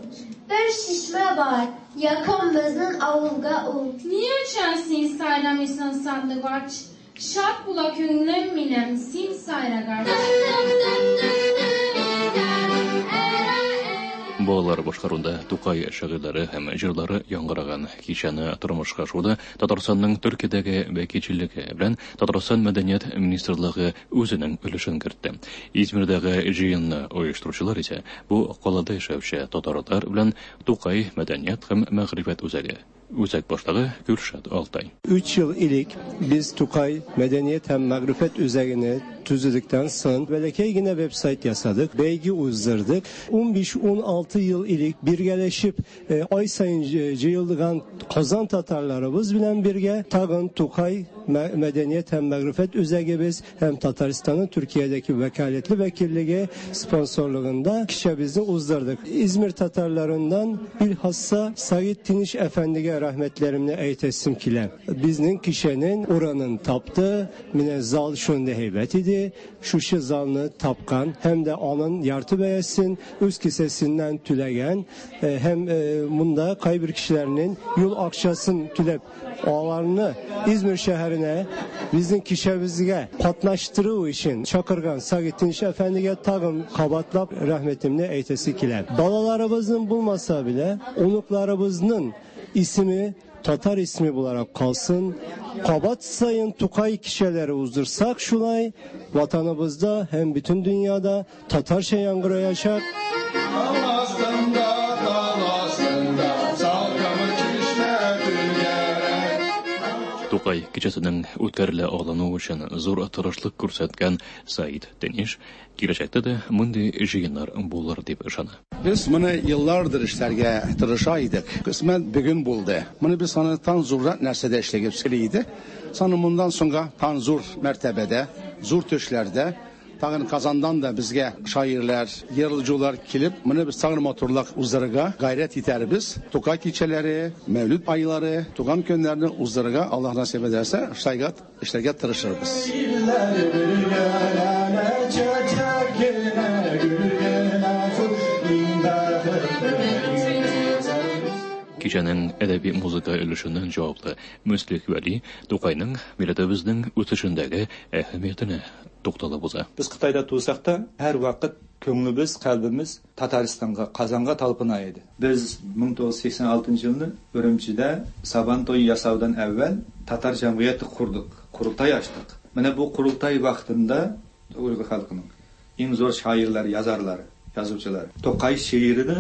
Бер шишмә бар, якын безнең авылга ул. Ни өчен син сайрамыйсың сандугач? Шат була күңлем минем, син сайрагач. Балалар башкаруында Тукай шигырьләре һәм җырлары яңгыраган кичәне тормышка ашыруда Татарстанның Төркиядәге вәкилчелеге белән Татарстан мәдәният министрлыгы үзенең өлешен кертте. Измирдәге җыенны оештыручылар исә бу калада яшәүче татарлар белән Тукай мәдәният һәм мәгърифәт үзәге. Үзәк башлыгы Гөлшат Алтай. 3 yıl ilik biz Tukay Medeniyet hem Magrifet Üzerine tüzüdükten sonra belekey yine website yasadık. Belgi uzdırdık. 15-16 yıl ilik birgeleşip ay sayın cıyıldıgan Kazan Tatarlarımız bilen birge tagın Tukay Medeniyet hem Magrifet Üzegi biz hem Tataristan'ın Türkiye'deki vekaletli vekilliği sponsorluğunda kişemizi uzdırdık. İzmir Tatarlarından bilhassa Said Tiniş Efendi'ye rahmetlerimle eytesim kile. Biznin kişinin oranın taptı, mine zal şunda heybet idi. Şuşu zalını tapkan hem de onun yartı beyesin, üst kisesinden tülegen hem bunda kaybır kişilerinin yol akçasın tülep ağlarını İzmir şehrine bizim kişemizge katlaştırığı için Çakırgan Said Tiniş Efendi'ye tağım kabatlap rahmetimle eytesi kile. Balalarımızın bulmasa bile onuklarımızın ismi Tatar ismi bularak kalsın. Kabat sayın Tukay kişileri uzdursak şulay vatanımızda hem bütün dünyada Tatarça yangırayacak. Тукай кичәсенең үткәрелә алынуы өчен зур тырышлык күрсәткән Саид Тениш киләчәктә дә мондый җыеннар булыр дип ышана. Biz bunu yıllardır işlerge tırışa idik. Kısmen bugün buldu. Bunu biz sana tan zurra nərsədə işləyib idi. Sana bundan sonra tan zur mərtəbədə, zur töşlərdə tağın Kazandan da bizge şairler, yırlıcılar kelip, bunu biz tağın motorlak uzdırıga gayret iter biz. Tukay keçeleri, Mevlüt ayları, Tugan könlerini uzdırıga Allah nasip ederse şaygat işlerge tırışır biz. Кичәнең әдәби музыка өлешеннән җаваплы Мөслих Вәли Тукайның милләтебезнең үсешендәге әһәмиятенә тукталып уза. Biz Xitayda tursak da her vakit köңlübüz, kalbimiz Tataristan'a, Kazan'a talpına idi. Biz 1986 yılını Ürümçi'de Sabantoy yasavdan evvel Tatar Cemiyeti kurduk, kurultay açtık. Mine bu kurultay vaktinde Uygur halkının en zor şairleri, yazarları, yazıcıları Tokay şiirini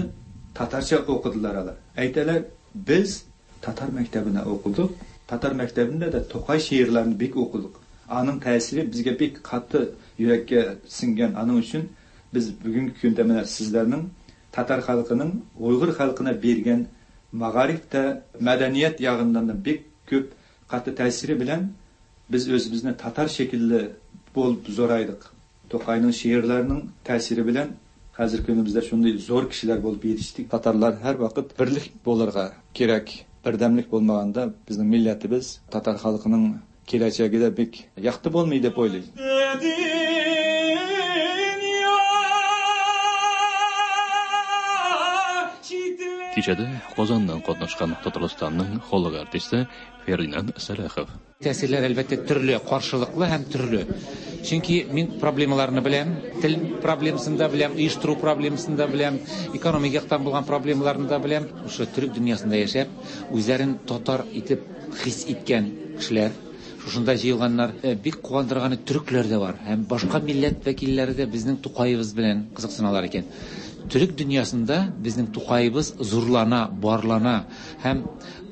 Tatarça okudular alar. Aytalar biz Tatar mektebine okuduk. Tatar mektebinde de Tokay şiirlerini bek okuduk. Anın tesiri bizge bek katı yürekке singen. Anın için biz bugünkü günde mine sizlerinin Tatar halkının Uygur halkına bergen maarifte medeniyet yağından da bek köp katı tesiri bilen biz özümüzni Tatar şekilli bol zoraydık. Tokay'ın şiirlerinin tesiri bilen Hazır günümüzde şunday zor kişiler bolup yetiştik. Tatarlar her vakit birlik bolurga gerek. Birdemlik bolmaganda bizning millatimiz Tatar halkının geleceği de bek yaktı bolmaydı deb o'ylayman. Кичәдә Казаннан катнашкан Татарстанның халык артисты Фердинанд Сәлахов. Тәэсирләр әлбәттә төрле, каршылыклы һәм төрле. Чөнки мин проблемаларны беләм, тел проблемасын да беләм, оештыру проблемасын да беләм, экономик яктан булган проблемаларны да беләм. Шушы төрек дөньясында яшәп, үзләрен татар итеп хис иткән кешеләр, шушында җыелганнар, бик куандырганы төрекләр дә бар һәм башка милләт вәкилләре дә безнең Тукаебыз белән кызыксыналар икән. Төрек дөньясында безнең Тукаебыз зурлана, барлана һәм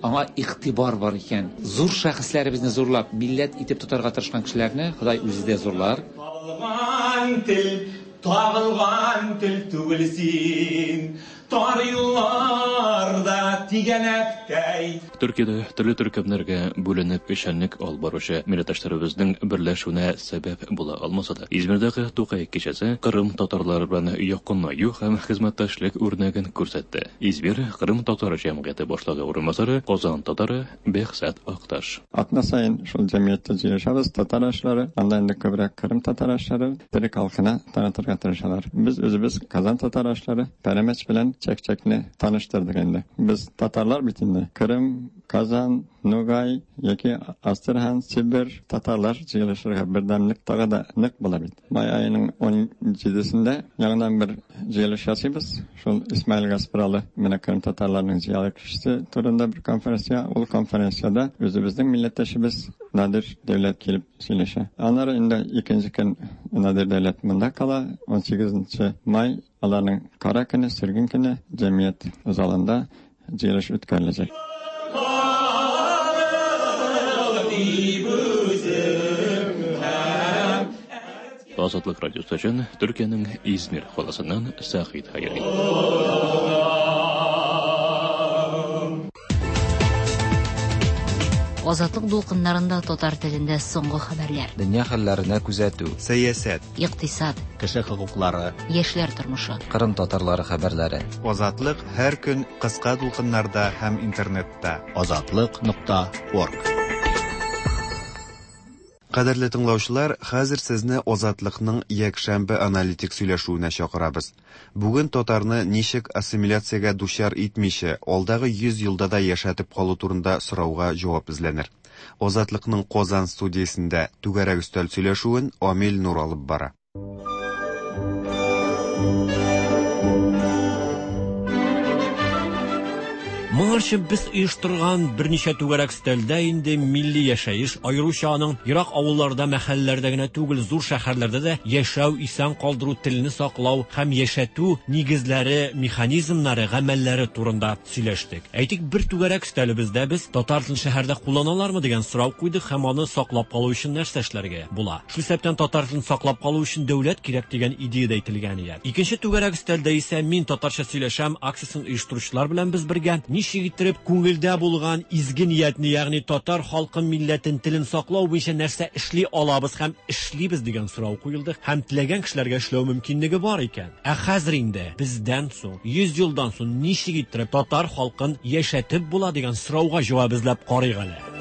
аңа игътибар бар икән. Зур шәхесләребезне зурлап, милләт итеп тотарга тырышкан кешеләрне Ходай үзе дә зурлар. Табылган тел, табылган тел түгел син. Тар юлларда тигәнәктәй. Төркиядә төрле төркемнәргә бүленеп эшчәнлек алып баручы милләттәшләребезнең берләшүенә сәбәп була алмаса да, Измирдәге Тукай кичәсе Кырым татарлары белән якынаю һәм хезмәттәшлек үрнәген күрсәтте. Измир Кырым татар җәмгыяте башлыгы урынбасары Казан татары Бехзат Акташ. Атна сайын шул җәмгыятьтә җыелышабыз, татар ашлары, анда инде күбрәк Кырым татар ашлары төрек халкына танытырга тырышалар. Без үзебез Казан татар ашлары пәрәмәч белән чәкчәкне таныштырдык инде. Без татарлар бит инде. Кырым, Казан, Нугай яки Астрахань, Сибир татарлар җыелышырга бердәмлек тагы да нык була бит. Май аеның 17-сендә яңадан бер җыелыш ясыйбыз. Шул Исмаил Гаспралы менә Кырым татарларының зыялы кешесе турында бер конференция. Ул конференцияда үзебезнең милләттәшебез Надир Дәүләт килеп сөйләшә. Аннары инде икенче көн Надир Дәүләт монда кала. 18 май аларның кара көне, сөрген көне җәмгыять залында җыелыш үткәреләчәк. Дип үзем һәм Азатлык радиосы өчен Төркиянең Измир каласыннан Сәгыйть Хәйри. Азатлык дулкыннарында татар телендә соңгы хәбәрләр. Дөнья хәлләренә күзәтү. Сәясәт. Икътисад. Кеше хокуклары. Яшьләр тормышы. Кырым татарлары хәбәрләре. Азатлык һәр көн кыска дулкыннарда һәм интернетта. Азатлык.орг. Кадерле тыңлаучылар, хәзер сезне Азатлыкның якшәмбе аналитик сөйләшүенә чакырабыз. Бүген татарны ничек ассимиляциягә дучар итмичә, алдагы 100 елда да яшәтеп калу турында сорауга җавап эзләнер. Азатлыкның Казан студиясендә түгәрәк өстәл сөйләшүен Амил Нур алып бара. Моңарчы без оештырган берничә түгәрәк өстәлдә инде милли яшәеш, аеруча аның ерак авылларда, мәхәлләләрдә генә түгел, зур шәһәрләрдә дә яшәү, исән калдыру, телне саклау һәм яшәтү нигезләре, механизмнары, гамәлләре турында сөйләштек. Әйтик, бер түгәрәк өстәлебездә без татар телен шәһәрдә кулланалармы дигән сорау куйдык һәм аны саклап калу өчен нәрсә эшләргә була. Шул исәптән татар телен саклап калу өчен дәүләт кирәк дигән идея дә әйтелгән иде. Икенче түгәрәк өстәлдә исә мин татарча сөйләшәм акциясен оештыручылар белән без бергә ничек иттереп күңелдә булган изге ниятне, ягъни татар халкын, милләтен, телен саклау буенча нәрсә эшли алабыз һәм эшлибез дигән сорау куелды һәм теләгән кешеләргә эшләү мөмкинлеге бар икән. Ә хәзер инде бездән соң, 100 елдан соң ничек иттереп татар халкын яшәтеп була дигән сорауга җавап эзләп карыйк әле.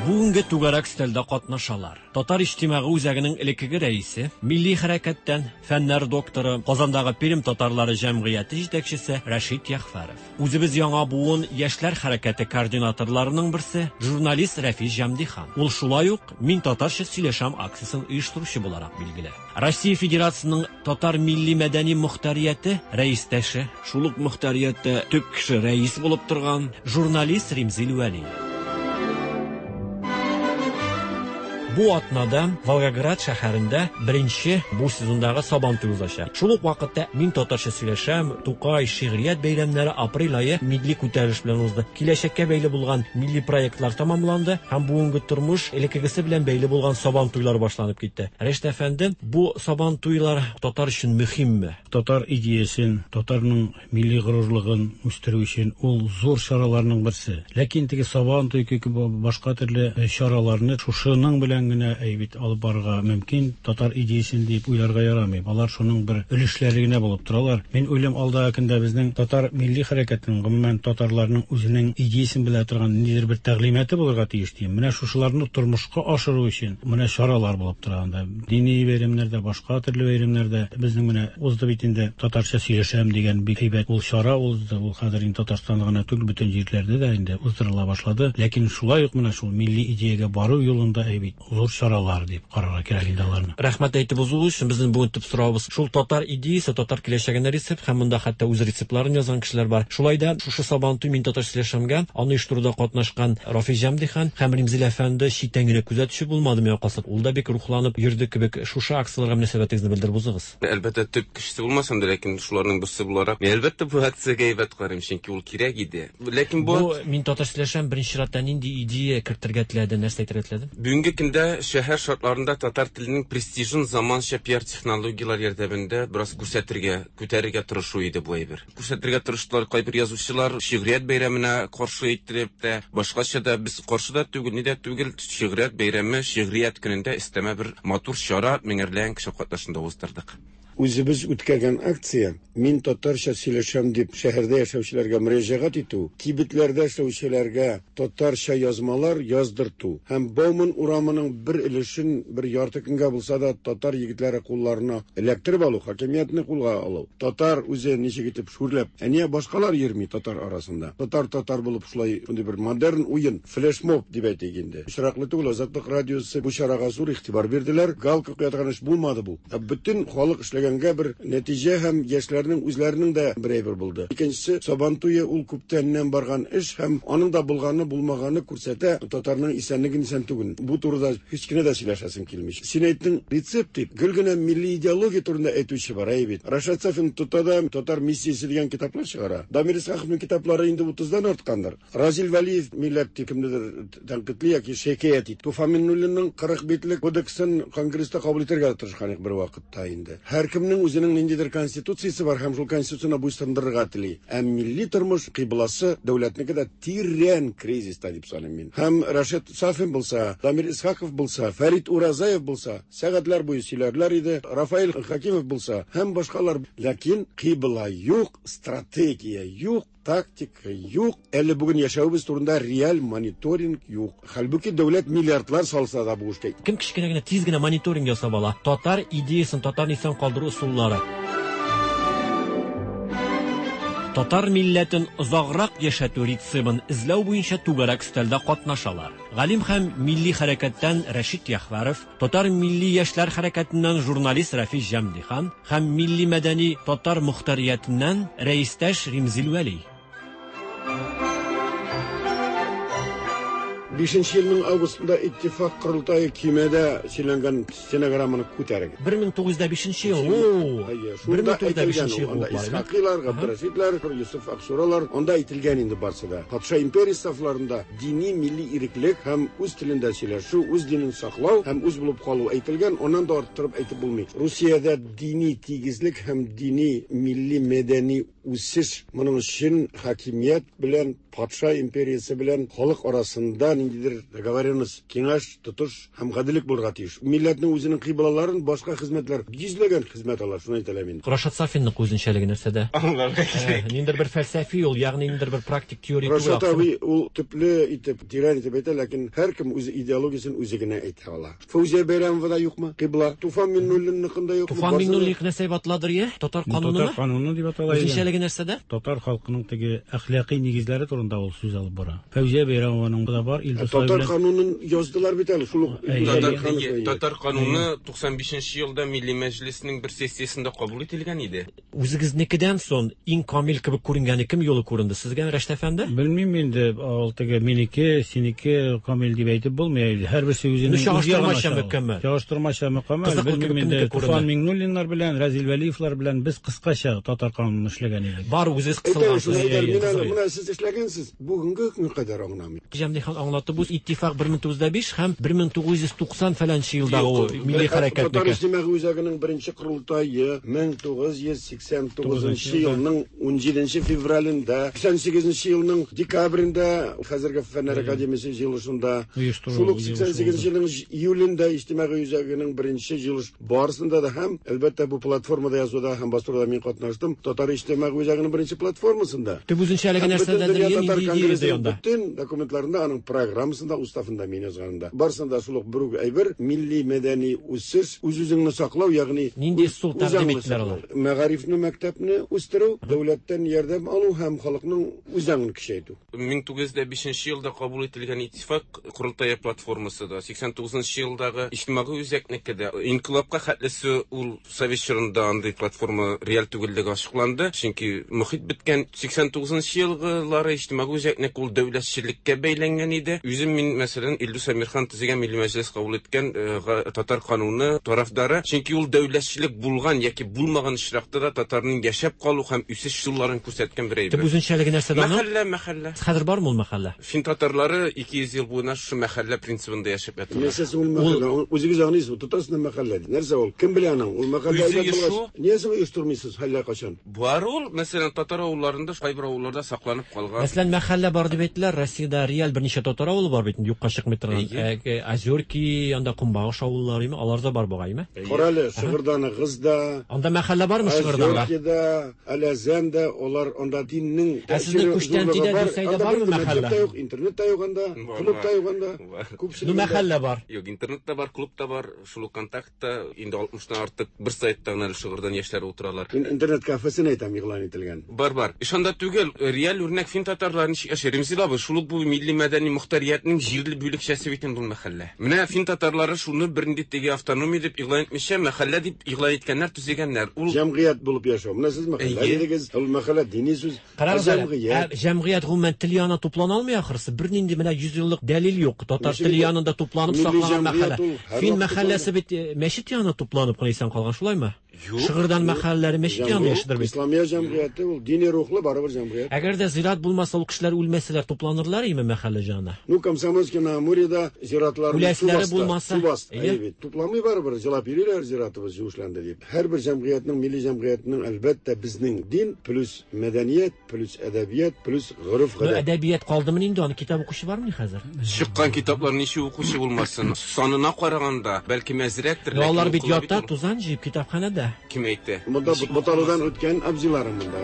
Бүгенге түгәрәк өстәлдә катнашалар. Татар иҗтимагый үзәгенең элеккеге рәисе, милли хәрәкәттән фәннәр докторы, Казандагы Пермь татарлары җәмгыяте җитәкчесе Рәшит Ягъфәров. Үзебез яңа буын яшьләр хәрәкәте координаторларының берсе, журналист Рәфис Җәмдихан. Ул шулай ук Мин татарча сөйләшәм акциясен оештыручы буларак билгеле. Россия Федерациясенең татар милли мәдәни мохтарияте рәистәше, шул ук мохтарияттә төп кеше рәис булып торган журналист Римзил Вәли. Бу атнада Волгоград шәһәрендә беренче бу сезондагы Сабантуй узачак. Шул ук вакытта Мин татарча сөйләшәм, Тукай, шигърият бәйрәмнәре апрель ае милли күтәрелеш белән узды. Киләчәккә бәйле булган милли проектлар тәмамланды һәм бүгенге тормыш элеккегесе белән бәйле булган Сабантуйлар башланып китте. Рәшит әфәнде, бу Сабантуйлар татар өчен мөһимме? Татар идеясен, татарның милли горурлыгын үстерү өчен ул зур чараларның берсе. Ләкин теге Сабантуй кебек башка төрле чараларны шушының белән генә әйбит алып барырга мөмкин, татар идеясен дип уйларга ярамый. Алар шуның бер өлешләре генә булып торалар. Мин уйлыйм, алдагы көндә безнең татар милли хәрәкәтенең, гомумән татарларның үзенең идеясен белә торган ниндидер бер тәгълиматы булырга тиеш дим. Менә шушыларны тормышка ашыру өчен менә чаралар булып тора анда. Дини бәйрәмнәрдә, башка төрле бәйрәмнәрдә безнең менә узды бит инде татарча сөйләшәм дигән бик әйбәт ул чара узды. Ул хәзер инде Татарстанда гына түгел, бөтен җирләрдә дә инде уздырыла башлады. Ләкин шулай ук менә шул милли идеягә бару юлында әйбит зур чаралар дип карарга кирәк инде аларны. Рәхмәт әйтеп узуыгыз өчен. Безнең бүген төп соравыбыз шул татар идеясе, татар киләчәгенә рецепт һәм монда хәтта үз рецептларын язган кешеләр бар. Шулай да шушы Сабантуй мин татарча сөйләшәмгә аны оештыруда катнашкан Рафис Җәмдихан һәм Римзил әфәнде читтән генә күзәтүче булмады миңа калса. Ул да бик рухланып йөрде кебек. Шушы акцияләргә мөнәсәбәтегезне белдереп узыгыз. Әлбәттә, төп кешесе булмасам да, ләкин шуларның берсе буларак, мин әлбәттә бу акциягә әйбәт карыйм, чөнки ул кирәк иде. Ләкин бу Бу мин татарча сөйләшәм, беренче чиратта нинди идея кертергә теләде, нәрсә әйтергә теләде? Бүгенге көндә шәһәр шартларында татар теленең престижын заманча пиар-технологияләр ярдәмендә бераз күрсәтергә, күтәрергә тырышу иде бу әйбер. Күрсәтергә тырыштылар кайбер язучылар, шигърият бәйрәменә каршы иттереп тә, башкача да без каршы да түгел, ни дә түгел, шигърият бәйрәме, шигърият көнендә өстәмә бер матур чара меңәрләгән кеше катнашында уздырдык. Үзебез үткәргән акция Мин татарча сөйләшәм дип шәһәрдә яшәүчеләргә мөрәҗәгать итү, кибетләрдә эшләүчеләргә татарча язмалар яздырту һәм Бауман урамының бер өлешен бер ярты көнгә булса да татар егетләре кулларына эләктереп алу, хакимиятне кулга алу. Татар үзе ничек итеп шүрләп, ә нигә башкалар йөрми татар арасында? Татар татар булып шулай шундый бер модерн уен, флешмоб дип әйтик инде. Очраклы түгел, Азатлык радиосы бу чарага зур игътибар бирделәр. Галка куя торган эш булмады бу. Ә бөтен халык эшләгән. эшләгәнгә бер нәтиҗә һәм яшьләрнең үзләренең дә бер әйбер булды. Икенчесе, Сабан туе ул күптәннән барган эш һәм аның да булганы, булмаганы күрсәтә татарның исәнлеген, исән түгелен. Бу турыда һич кенә дә сөйләшәсем килми. Син әйттең рецепт дип, гел генә милли идеология турында әйтүче бар, әйе бит. Рашат Сафин тота да Татар миссиясе дигән китаплар чыгара. Дамир Исхаковның китаплары инде утыздан арткандыр. Разил Вәлиев милләт дип кемнедер тәнкыйтьли яки шикаять итә. Туфан Миңнуллинның 40 битлек кодексын Конгресста кабул итәргә тырышкан идек бер вакытта инде. Һәркемнең үзенең ниндидер конституциясе бар һәм шул конституцияне буйсындырырга тели. Ә милли тормыш кыйбласы дәүләтнеке дә тирән кризиста дип саныйм мин. Һәм Рашид Сафин булса, Дамир Исхаков булса, Фәрит Уразаев булса, сәгатьләр буе сөйләрләр иде, Рафаэль Хакимов булса һәм башкалар. Ләкин кыйбла юк, стратегия юк. Тактика юк, әле бүген яшәвебез турында реаль мониторинг юк. Хәлбуки дәүләт миллиардлар салса да бу эшкә. Кем кечкенә генә тиз генә мониторинг ясап ала? Татар идеясын, татарны исән калдыру ысуллары. Татар милләтен озаграк яшәтү рецебын эзләү буенча түгәрәк өстәлдә катнашалар. Галим һәм милли хәрәкәттән Рәшит Яхвәров, татар милли яшьләр хәрәкәтеннән журналист Рәфис Җәмдихан һәм милли-мәдәни татар мохтариятеннән рәистәш Римзил Вәли. Бишенче елның августында Иттифак корылтае көймәдә сөйләнгән стенограмманы күтәрегез. 1905 нче ел. О! Әйе, шунда 1905 әйтелгән ел ул. Анда булып бармы? Исхакыйлар, Габдрәшитләр, Йосыф Аксуралар, анда әйтелгән инде барсы да. Патша империясе сафларында дини милли иреклек һәм үз телендә сөйләшү, үз динен саклау һәм үз булып калу әйтелгән, аннан да арттырып әйтеп булмый. Русиядә дини тигезлек һәм дини милли мәдәни үсеш моның өчен хакимият белән патша империясе белән халык арасында ниндидер договоренность, киңәш, тотыш һәм гаделлек булырга тиеш. Милләтнең үзенең кыйблаларын башка хезмәтләр, йөзләгән хезмәт ала, шуны әйтә алам инде. Рашат Сафинның үзенчәлеге нәрсәдә? Аңларга кирәк. Ниндидер бер фәлсәфи ул, ягъни ниндидер бер практик теория түгел. Рашат абый ул төпле итеп, тирән итеп әйтә, ләкин һәркем үз идеологиясен үзе генә әйтә ала. Фәүзия Бәйрәмова да юкмы? Кыйбла. Туфан Миңнуллинныкын да юкмы? Туфан Миңнуллинныкы нәрсә дип аталадыр, е? Татар канунымы? Татар кануны дип атала иде. Үзенчәлеге нәрсәдә? Татар халкының теге әхлакый нигезләре турында ул сүз алып бара. Фәүзия Бәйрәмованың да бар, Илдус Татар белән. канунын яздылар бит әле, шул ук Татар, татар кануны 95 нче елда Милли Мәҗлеснең бер сессиясендә кабул ителгән иде. Үзегезнекедән сон иң камил кебек күренгәне кем юлы күренде сезгә, Рәшит әфәнде? Белмим инде, ул теге минеке, синеке камил дип әйтеп булмый. Һәрберсе үзенең Ну, үз ягына чагыштырмача чагыла. мөкәммәл. Чагыштырмача мөкәммәл. Кызыклы Белмим кебек инде, кемнеке күренде? Туфан Миңнуллиннар белән, Разил Вәлиевлар белән без кыскача татар канунын эшләгән идек. Бар үзегез Әйтәм, шуны кысылгансыз. әйтәм, мин әле менә сез эшләгәнсез, бүгенге көнгә кадәр аңламыйм. Җәмдихан аңлатып үз Иттифак 1905 һәм 1990 фәләнче елдагы ул милли Татар хәрәкәтнеке. иҗтимагый үзәгенең беренче корылтае 1989 елның 17 февралендә, 88 елның декабрендә хәзерге Фәннәр академиясе җыелышында, Оештыру шул ук җыелышы 88 елның июлендә иҗтимагый үзәгенең беренче җыелыш барысында да һәм әлбәттә бу платформада язуда һәм бастыруда мин катнаштым. Татар иҗтимагый үзәгенең беренче платформасында. Төп үзенчәлеге Һәм бөтен нәрсәдәдер, дөнья е, татар нинди идея конгрессының анда? бөтен документларында, аның программасында, уставында мин язганында. Барысында шул ук бер үк әйбер, милли мәдәни үсеш, үз-үзеңне саклау, ягъни Нинди ысул үз тәкъдим аңны иттеләр саклау. алар? Мәгарифне, мәктәпне үстерү, дәүләттән ярдәм алу һәм халыкның үз аңын көчәйтү. 1905 елда кабул ителгән Иттифак корылтае платформасы да, 89 елдагы иҗтимагый үзәкнеке дә, инкыйлабка хәтлесе ул совет чорында андый платформа реаль түгеллеге ачыкланды, чөнки мохит беткән. 89 елгылары иҗтимагый үзәкнеке ул дәүләтчелеккә бәйләнгән иде. Үзем мин, мәсәлән, Илдус Әмирхан төзегән Милли Мәҗлес кабул иткән татар кануны тарафдары, чөнки ул дәүләтчелек булган яки булмаган очракта да татарның яшәп калу һәм үсеш юлларын күрсәткән бер Төп әйбер. үзенчәлеге нәрсәдә аның? Мәхәллә, мәхәллә. Хәзер бармы ул мәхәллә? Фин татарлары 200 ел буена шушы мәхәллә принцибында яшәп яталар. Нәрсәсе ул мәхәллә? Үзегез аңлыйсызмы? Тотасыз мәхәллә. Нәрсә ул? Кем белә аның? Ул мәхәллә Үзе әйбәт булгач, оешу. ниясе оештырмыйсыз әллә кайчан? Бар ул, мәсәлән, татар авылларында, кайбер авылларда сакланып калган. Мәсәлән, мәхәллә бар дип әйттеләр. Россиядә реаль берничә татар авылы бар бит, инде юкка чыкмый торган. Әйе. Озерки, анда Кумбагыш авыллары, име? Алар да бар бугай, име? Карале, Шыгырданыгыз да, Анда мәхәллә бармы Шыгырданда? Озеркида, Әләзәндә, алар анда диннең Ә сезнең тәэсире Күчтәнтидә, зурлыгы бар. Дүсәйдә Анда бармы бер мәктәп мәхәллә? тә юк, интернет та юк анда, Бар, клуб та бар. юк анда. Бар. Ну, Күпчелегендә. мәхәллә бар. Юк, интернет та бар, клуб та бар, шул ук контактта инде 60-тан артык бер сайтта гына әле Шыгырдан яшьләре утыралар. Мин интернет кафесын әйтәм, игълан ителгән. Бар, бар. Эш анда түгел, реаль үрнәк фин татарлары ничек яши. Ремзил абый, шул ук бу милли мәдәни мохтар Мохтариятнең җирле бүлекчәсе бит инде ул мәхәллә. Менә фин татарлары шуны бернинди теге автономия дип игълан итмичә, мәхәллә дип игълан иткәннәр, төзегәннәр. Ул җәмгыять булып яшәү. Менә сез мәхәллә дидегез, ул мәхәллә дини сүз. Карагыз әле, ә җәмгыять гомумән тел янына туплана алмый ахрысы. Бернинди менә 100 еллык дәлил юк. Татар теле янында тупланып сакланган мәхәллә. Фин мәхәлләсе бит мәчет янына тупланып кына исән калган, шулаймы? Юк. Шыгырдан мәхәлләләре мәчет янында яшидер бит. Исламия җәмгыяте ул дини рухлы барыбер җәмгыять. Әгәр дә зират булмаса, ул кешеләр үлмәсәләр, тупланырлар име мәхәллә җанына? Ну, Комсомольский на Амуреда зиратларны су Үләселәре басты. булмаса, Су басты. әйе. Әйе бит. Тупламый барыбер, җылап йөриләр зиратыбыз юешләнде дип. Һәрбер җәмгыятьнең, милли җәмгыятьнең, әлбәттә, безнең дин плюс мәдәният плюс әдәбият плюс гореф-гадәт. Ну, әдәбият калдымыни инде, аны китап укучы бармыни хәзер? Чыккан китаплар ничек укучы булмасын? Санына караганда, бәлки әзрәктер, Ну, алар ләкин бит укыла бит ята, ул. тузан җыеп китапханәдә. Кем әйтә? Монда буталудан үткән абзыйларым монда.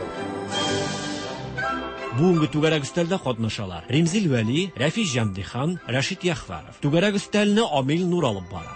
Бүгенге түгәрәк өстәлдә катнашалар. Римзил Вәли, Рәфис Җәмдихан, Рәшит Яхваров. Түгәрәк өстәлне Амил Нур алып бара.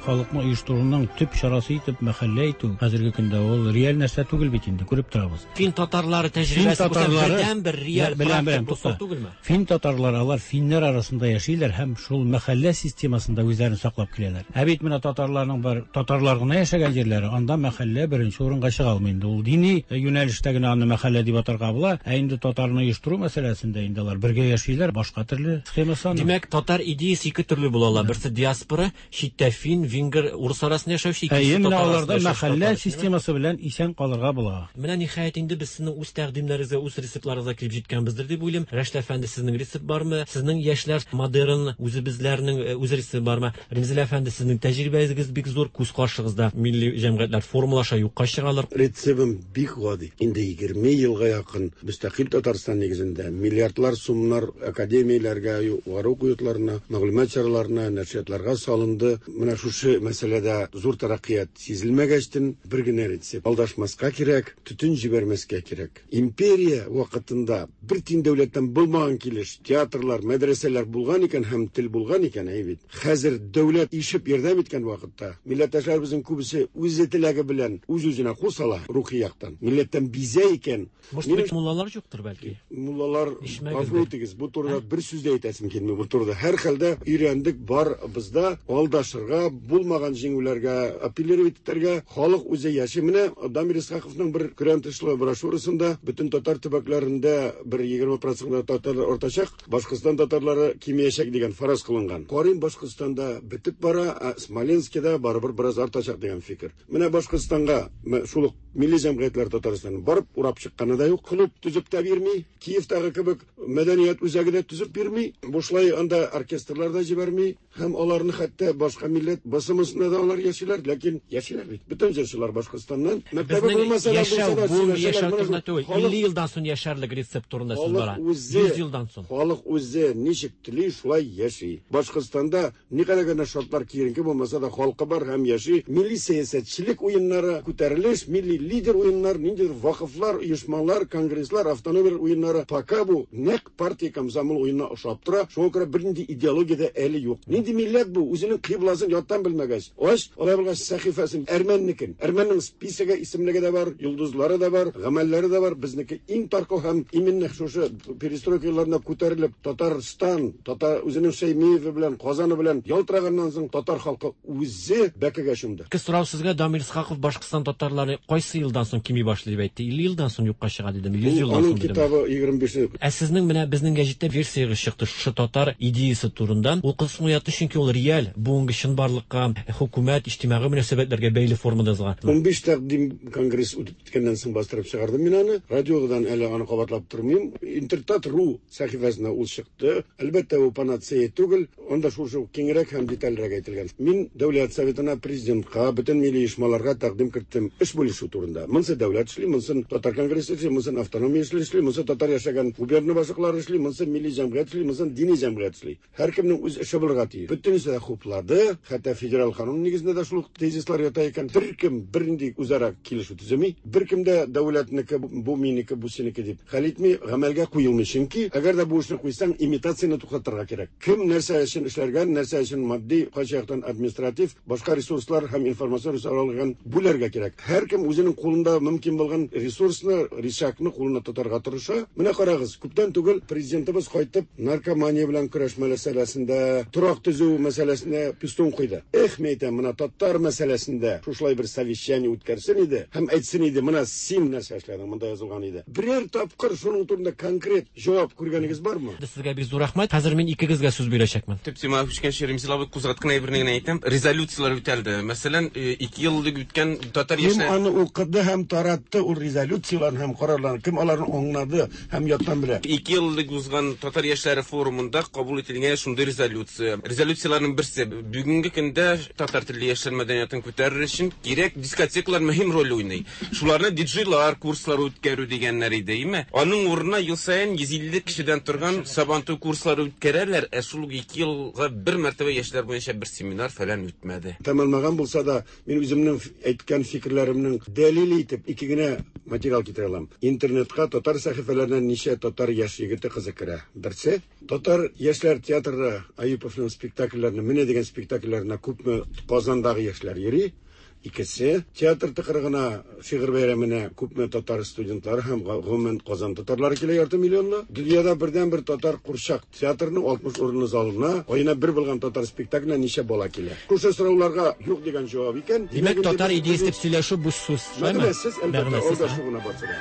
Халыкны оештыруның төп чарасы итеп мәхәллә әйтү хәзерге көндә ул реаль нәрсә түгел бит инде, күреп торабыз. Фин татарлары Фин тәҗрибәсе булса татарлары бердән-бер реаль беләм, практик беләм, булса тукта. түгелме? Фин татарлары алар финнәр арасында яшиләр һәм шул мәхәллә системасында үзләрен саклап киләләр. Ә бит менә татарларның бар татарлар гына яшәгән җирләре, анда мәхәллә беренче урынга чыга алмый инде. Ул дини юнәлештә генә аны мәхәллә дип атарга була. Ә инде татарны оештыру мәсьәләсендә инде алар бергә яшиләр, башка төрле схемасы аның. Димәк, татар идеясе ике төрле була ала. Берсе диаспора, читтә фин, венгер, урыс арасында яшәүче, Әйе, икенчесе менә татар аларда арасында яшәүче мәхәллә татар. системасы белән исән калырга була. Менә ниһаять инде без сезнең үз тәкъдимнәрегезгә, үз рецептларыгызга килеп җиткәнбездер дип уйлыйм. Рәшит әфәнде, сезнең рецепт бармы? Сезнең яшьләр модерн үзебезләрнең э, үз рецепты бармы? Римзил әфәнде, сезнең тәҗрибәгез бик зур, күз каршыгызда милли җәмгыятьләр формалаша, юкка чыгалар. Рецебым бик гади. Инде 20 елга якын мөстәкыйль Татарстан нигезендә миллиардлар сумнар академияләргә, югары уку йортларына, мәгълүмат чараларына, нәшриятларга салынды. Менә шушы мәсьәләдә зур тәрәккыят сизелмәгәчтен бер генә рецепт. Алдашмаска кирәк, төтен җибәрмәскә кирәк. Империя вакытында бер тин дәүләттән булмаган килеш театрлар, мәдрәсәләр булган икән һәм тел булган икән, әй бит. Хәзер дәүләт ишеп ярдәм иткән вакытта милләттәшләребезнең күбесе үзе теләге белән үз-үзенә кул сала рухи яктан. Милләттән бизә икән. Может быть, муллалар юктыр бәлки? Муллалар, Ишмәгездер. гафу итегез, бу турыда бер сүз дә әйтәсем килми бу турыда. Һәр хәлдә өйрәндек барыбыз да алдашырга, булмаган җиңүләргә апеллировать итәргә, халык үзе яши. Менә Дамир Исхаковның бер көрән тышлы брошюрасында бөтен татар төбәкләрендә бер 20% татарлар артачак, Башкортстан татарлары кимиячәк дигән фараз кылынган. Карыйм Башкортстанда бетеп бара, ә Смоленскида барыбер бераз артачак дигән фикер. Менә Башкортстанга шул ук милли җәмгыятьләр Татарстанны барып урап чыкканы да юк, клуб төзеп тә бирми, Киевтагы кебек мәдәният үзәге дә төзеп бирми, бушлай анда оркестрлар да җибәрми, һәм аларны хәтта башка милләт басымысында да алар яшиләр, ләкин яшиләр бит. Бөтен җырчылар Башкортстаннан. Мәктәбе Безнең булмаса да яшәү, булса да бүгенге сөйләшәләр. яшәү Менә турында шул түгел, халык 50 елдан соң яшәрлек рецепт турында сүз бара. Халык үзе 100 елдан соң. Халык үзе ничек тели, шулай яши. Башкортстанда никадәр генә шартлар киеренке булмаса да халкы бар һәм яши. Милли сәясәтчелек уеннары, күтәрелеш, милли лидер уеннар, ниндидер вакыфлар, оешмалар, конгресслар, автономияләр уеннары. Пока бу нәкъ партия комсомол уенына ошап тора. Шуңа күрә бернинди идеология дә әле юк. Нинди милләт бу? Үзенең кыйбласын яттан белмәгәч. Ач, алай булгач сәхифәсен әрмәннекен. Әрмәннең списогы, исемлеге дә бар, йолдызлары да бар, гамәлләре дә бар. Безнеке иң таркау һәм именно шушы перестройка елларында күтәрелеп Татарстан, татар үзенең Шәймиеве белән, Казаны белән ялтыраганнан соң татар халкы үзе бәкегә чумды. Ике сорау сезгә, Дамир Исхаков Башкортстан татарлары кайсы елдан соң кими башлый дип әйтте? 50 елдан соң юкка чыга дидеме? 100 елдан Аның соң дидеме? китабы 25 Ә сезнең менә безнең гәҗиттә версиягез чыкты шушы татар идеясы турында. Ул кызыксыну уятты, чөнки ул реаль, бүгенге чынбарлыкка, хөкүмәт, иҗтимагый мөнәсәбәтләргә бәйле формада язылган. 15 тәкъдим конгресс үтеп киткәннән соң бастырып чыгардым мин аны. Радиодан әле аны кабатлап тормыйм. Интертат.ру сәхифәсенә ул чыкты. Әлбәттә, бу панацея түгел. Анда шушы ук киңрәк һәм детальрәк әйтелгән. Мин Дәүләт Советына, президентка, бөтен милли оешмаларга тәкъдим керттем эш бүлешү турында. Монсы дәүләт эшли, монсын татар конгрессы эшли, монсын автономия эшли, эшли, монсы татар яшәгән губерна башлыклары эшли, монсы милли җәмгыять эшли, монсын дини җәмгыять эшли. Һәркемнең үз эше булырга тиеш. Бөтенесе дә хуплады, хәтта Федераль канун нигезендә дә шул ук тезислар ята икән. Беркем бернинди үзара килешү төземи, беркем дә дәүләтнеке, бу минеке, бу синеке дип хәл итми, гамәлгә куелмый. Чөнки әгәр дә бу эшне куйсаң, имитацияне туктатырга кирәк. Кем нәрсә өчен эшләргә, нәрсә өчен матди, кайсы яктан административ, башка ресурслар һәм информацион ресурслар алган бүләргә кирәк. Һәркем үзенең кулында мөмкин булган ресурсны, рычагны кулына тотарга тырыша. Менә карагыз, күптән түгел президентыбыз кайтып, наркомания белән көрәш мәсьәләсендә, торак төзү мәсьәләсендә пистон куйды. Эх, мин әйтәм, менә татар мәсьәләсендә шушылай бер совещание үткәрсен иде һәм әйтсен иде, менә син нәрсә эшләдең, монда язылган иде. Берәр тапкыр шуның турында конкрет җавап күргәнегез бармы? Сезгә бик зур рәхмәт. Хәзер мин икегезгә сүз бирәчәкмен. Төп темага күчкәнче, Ремзил абый кузгаткан әйберне генә әйтәм. Резолюцияләр үтәлде. Мәсәлән, 2 ел элек үткән татар Кем аны укыды һәм таратты ул резолюцияләрне һәм карарларны? Кем аларны аңлады һәм яттан белә? 2 ел элек узган татар яшьләре форумында кабул ителгән шундый резолюция. Резолюцияләрнең берсе, бүгенге көндә татар телле яшьләр мәдәниятен күтәрер өчен кирәк дискотекалар мөһим роль уйный. Шуларны диджейлар курслары үткәрү дигәннәр иде, име? Аның урынына ел саен 150 кешедән торган Сабантуй курслары үткәрәләр, ә шул ук 2 елга бер мәртәбә яшьләр буенча бер семинар фәлән үтмәде. Тәмамланган булса да, мин үземнең әйткән фикерләремнең дәлиле итеп ике генә материал китерә алам. Интернетка татар сәхифәләренә ничә татар яшь егете кызы керә? Берсе, татар яшьләр театры Аюповның спектакльләренә, менә дигән спектакльләренә күпме Казандагы яшьләр йөри. Икесе, театр тыкрыгына, шигырь бәйрәменә күпме татар студентлары һәм гомумән Казан татарлары килә, ярты миллионлы. Дөньяда бердәнбер татар курчак театрының 60 урынлы залына аена бер булган татар спектакленә ничә бала килә? Шушы сорауларга юк дигән җавап икән. Димәк, татар идеясе дип сөйләшү буш сүз, шулаймы? Мәгънәсез, әлбәттә, алдашу гына барсы да.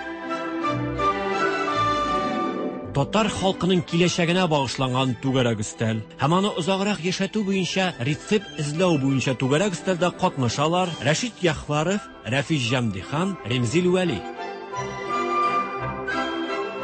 Татар халкының киләчәгенә багышланган түгәрәк өстәл һәм аны озаграк яшәтү буенча рецепт эзләү буенча түгәрәк өстәлдә катнашалар Рәшит Яхваров, Рәфис Җәмдихан, Ремзил Вәли.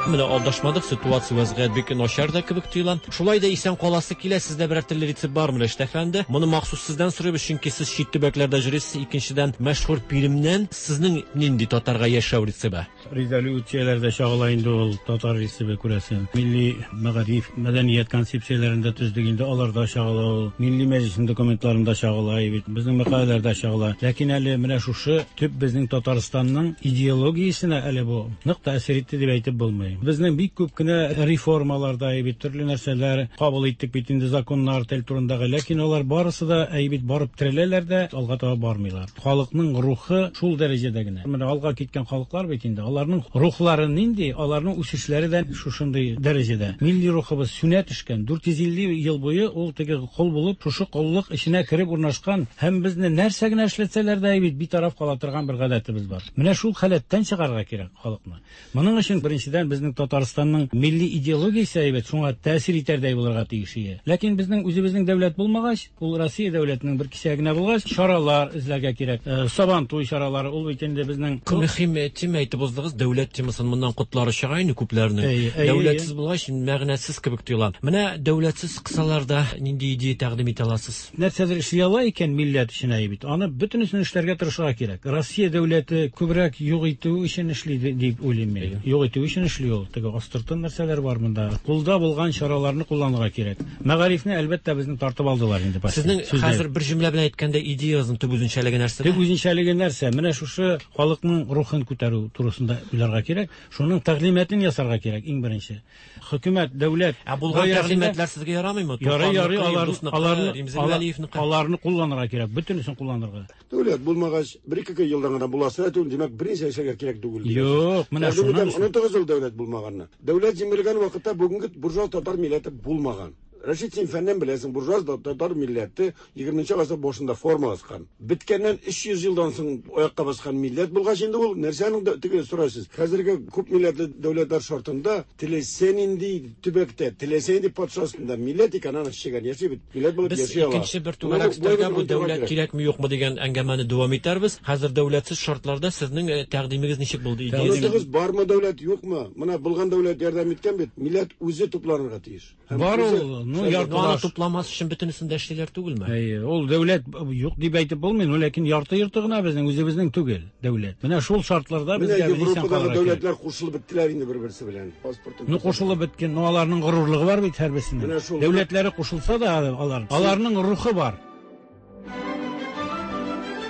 Менә алдашмадык, ситуация вәзгыять бик начар да кебек тоела. Шулай да исән каласы килә, сездә берәр төрле рецепт бармы, Рәшит әфәнде? Моны махсус сездән сорыйбыз, чөнки сез чит төбәкләрдә йөрисез. Икенчедән, мәшһүр Пермьнән сезнең нинди татарга яшәү рецебы? Резолюцияләрдә чагыла инде ул татар рецебы, күрәсең. Милли мәгариф, мәдәният концепцияләрендә төздек инде, аларда чагыла ул. Милли мәҗлеснең документларында чагыла бит, безнең мәкаләләрдә чагыла. Ләкин әле менә шушы төп безнең Татарстанның идеологиясенә әле бу нык тәэсир итте дип әйтеп булмый. Безнең бик күп кенә реформалар да бит, төрле нәрсәләр кабул иттек бит инде, законнар тел турындагы, ләкин алар барысы да бит барып тереләләр дә, алга таба бармыйлар. Халыкның рухы шул дәрәҗәдә генә. Менә алга киткән халыклар бит инде, аларның рухлары нинди, аларның үсешләре дә шушындый дәрәҗәдә. Милли рухыбыз сүнә төшкән. 450 ел буе ул теге кол булып, шушы коллык эченә кереп урнашкан һәм безне нәрсә генә эшләтсәләр дә бит битараф кала торган бер гадәтебез бар. Менә шул халәттән чыгарга кирәк халыкны. Моның өчен беренчедән безнең Татарстанның милли идеологиясе әйбәт, шуңа тәэсир итәрдәй булырга тиеш ие. Ләкин безнең үзебезнең дәүләт булмагач, ул Россия дәүләтенең бер кисәге генә булгач, чаралар эзләргә кирәк. Сабантуй чаралары, ул бит инде безнең Мөһим тема әйтеп уздыгыз, дәүләт темасын моннан котлары чыга инде күпләрнең. Дәүләтсез булгач, мәгънәсез кебек тоела. Менә дәүләтсез кысаларда нинди идея тәкъдим итә аласыз? Нәрсәдер эшли ала икән милләт өчен әйе бит, аны бөтенесен эшләргә тырышырга кирәк. Россия дәүләте күбрәк юк итү өчен эшли дип уйлыйм мин. Юк итү өчен эшли ул. Теге астыртын нәрсәләр бар монда. Кулда булган чараларны кулланырга кирәк. Мәгарифне, әлбәттә, безнең тартып алдылар инде почти. Сезнең хәзер бер җөмлә белән әйткәндә идеягезнең төп үзенчәлеге нәрсәдә? Төп үзенчәлеге нәрсә? Менә шушы халыкның рухын күтәрү турысында уйларга кирәк. Шуның тәгълиматын ясарга кирәк иң беренче. Хөкүмәт, дәүләт. Ә булган тәгълиматлар сезгә ярамыймы? Ярый, ярый, аларны, аларны кулланырга кирәк, бөтенесен кулланырга. Дәүләт булмагач, бер-ике елдан гына буласы да түгел, димәк, берничә эшләргә кирәк түгел. Юк, менә шуннан. Онытыгыз ул дәүләт булмаганны. Дәүләт җимерелгән вакытта бүгенге буржуаз татар милләте булмаган. Рәшит, син фәннән беләсең, буржуаз татар милләте 20 гасыр башында формалашкан. Беткәннән 300 елдан соң аякка баскан милләт булгач инде ул нәрсәнең теге сорайсыз. Хәзерге күп милләтле дәүләтләр шартында теләсә нинди төбәктә, теләсә нинди патша астында милләт икән, аны чегән яши бит. Милләт булып Без яши ала. икенче бер түгәрәк өстәлгә бу дәүләт кирәкме юкмы дигән әңгәмәне дәвам итәрбез. Хәзер дәүләтсез шартларда сезнең тәкъдимегез ничек булды? Идеягез? Онытыгыз, бармы дәүләт, юкмы? Менә булган дәүләт ярдәм иткән бит. Милләт үзе тупланырга тиеш. Бар ул, ну, яртылаш. Аны тупламас өчен бөтенесен дә эшлиләр түгелме? Әйе, ул дәүләт юк дип әйтеп булмый, но ләкин ярты йорты гына безнең үзебезнең түгел дәүләт. Менә шул шартларда безгә Европадагы дәүләтләр кушылып беттеләр инде бер-берсе белән. Паспортын. Ну кушылып беткән, но аларның горурлыгы бар бит һәрберсенең. Дәүләтләре кушылса да алар, аларның рухы бар.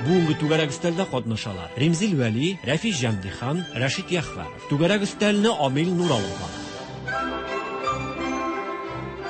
Бүгенге түгәрәк өстәлдә катнашалар. Римзил Вәли, Рәфис Җәмдихан, Рәшит Яхвәров. Түгәрәк өстәлне Амил Нур алып бара.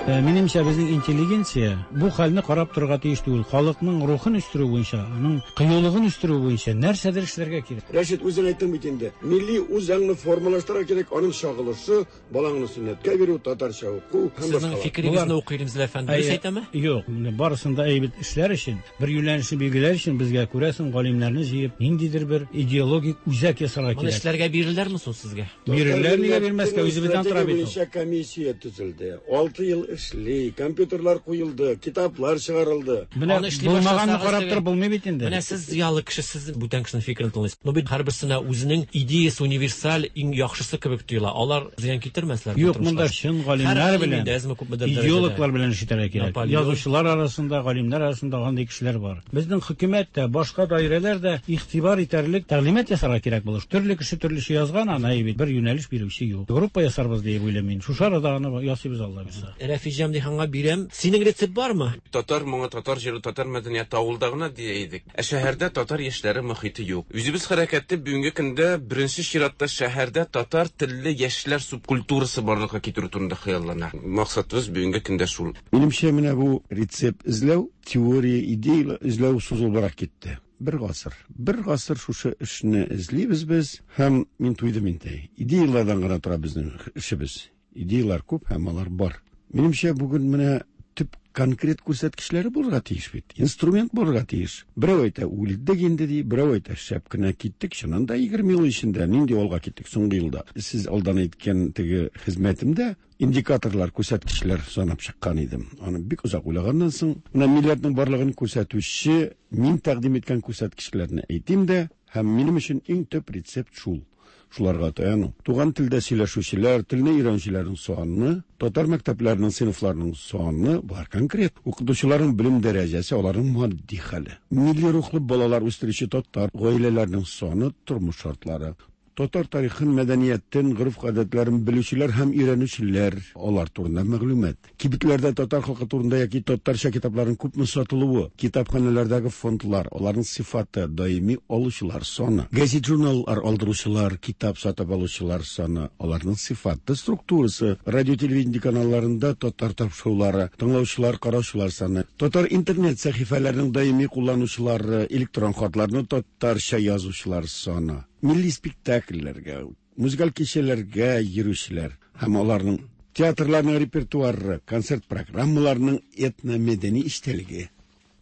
Минемчә, безнең интеллигенция бу хәлне карап торырга тиеш түгел. Халыкның рухын үстерү буенча, аның кыюлыгын үстерү буенча нәрсәдер эшләргә кирәк. Рәшит, үзең әйттең бит инде. Милли үзаңны формалаштырырга кирәк, аның чагылышы, балаңны сөннәткә бирү, татарча уку һәм Сезнең башкалар. фикерегезне укый Римзил әфәнде. Дөрес әйтәме? Юк, менә барысын да әйбәт эшләр өчен, бер юнәлешне билгеләр өчен безгә, күрәсең, галимнәрне җыеп, ниндидер бер идеологик үзәк ясарга Моны кирәк. эшләргә бирерләрме соң сезгә? Бирерләр, нигә бирмәскә, үзебездән тора бит ул. Буенча комиссия төзелде. 6 ел эшли, компьютерлар куелды, китаплар чыгарылды. Менә Аны эшли булмаганны башласагыз карап теге- торып булмый бит инде. Менә сез зыялы кеше, сез бүтән кешенең фикерен тыңлыйсыз. Но бит һәрберсенә үзенең идеясы универсаль, иң яхшысы кебек тоела. Алар зыян китермәсләр. бу Юк, тормышка. монда чын Һәр галимнәр галим белән, инде әзме-күпмедер дәрәҗәдә. идеологлар белән эш итәргә кирәк. Наполеон. Язучылар арасында, галимнәр арасында андый кешеләр бар. Безнең хөкүмәт тә, башка даирәләр дә игътибар итәрлек тәгълимат ясарга кирәк булыр. Төрле кеше төрлечә язган, аны бит бер юнәлеш бирүче юк. Группа ясарбыз дип уйлыйм мин. Шушы арада аны ясыйбыз, Алла бирса. Рәфис Җәмдиханга бирәм. Синең рецепт бармы? Татар моңы, татар җыры, татар мәдәнияте авылда гына дия идек. Ә шәһәрдә татар яшьләре мохите юк. Үзебез хәрәкәте бүгенге көндә беренче чиратта шәһәрдә татар телле яшьләр субкультурасы барлыкка китерү турында хыяллана. Максатыбыз бүгенге көндә шул. Минемчә, менә бу рецепт эзләү, теория, идея эзләү сузылбрак китте. Бер гасыр. Бер гасыр шушы эшне эзлибез без һәм мин туйдым инде. Идеялардан гына тора безнең эшебез. Идеялар күп һәм алар бар. Минемчә, бүген менә төп конкрет күрсәткечләре булырга тиеш бит. Инструмент булырга тиеш. Берәү әйтә, үлдек инде ди, берәү әйтә, шәп кенә киттек. Чыннан да 20 ел эчендә нинди алга киттек соңгы елда. Сез алдан әйткән теге хезмәтемдә индикаторлар, күрсәткечләр санап чыккан идем. Аны бик озак уйлаганнан соң, менә милләтнең барлыгын күрсәтүче мин тәкъдим иткән күрсәткечләрне әйтим дә, һәм минем өчен иң төп рецепт шул. Шуларга таяну. Туган телдә сөйләшүчеләр, телне өйрәнүчеләрнең саны, татар мәктәпләренең сыйныфларының саны бар конкрет. Укытучыларның белем дәрәҗәсе, аларның матди хәле. Милли рухлы балалар үстерүче татар гаиләләренең саны, тормыш шартлары. Татар тарихын, мәдәниятен, гореф-гадәтләрен белүчеләр һәм өйрәнүчеләр, алар турында мәгълүмат. Кибетләрдә татар халкы турында яки татарча китапларның күпме сатылуы, китапханәләрдәге фондлар, аларның сыйфаты, даими алучылар саны, газет-журналлар алдыручылар, китап сатып алучылар саны, аларның сыйфаты, структурасы, радио-телевидение каналларында татар тапшырулары, тыңлаучылар, караучылар саны, татар интернет сәхифәләренең даими кулланучылары, электрон хатларны татарча язучылар саны, милли спектакльләргә, музыкаль кичәләргә йөрүчеләр һәм аларның театрларның репертуары, концерт программаларының этномәдәни эчтәлеге,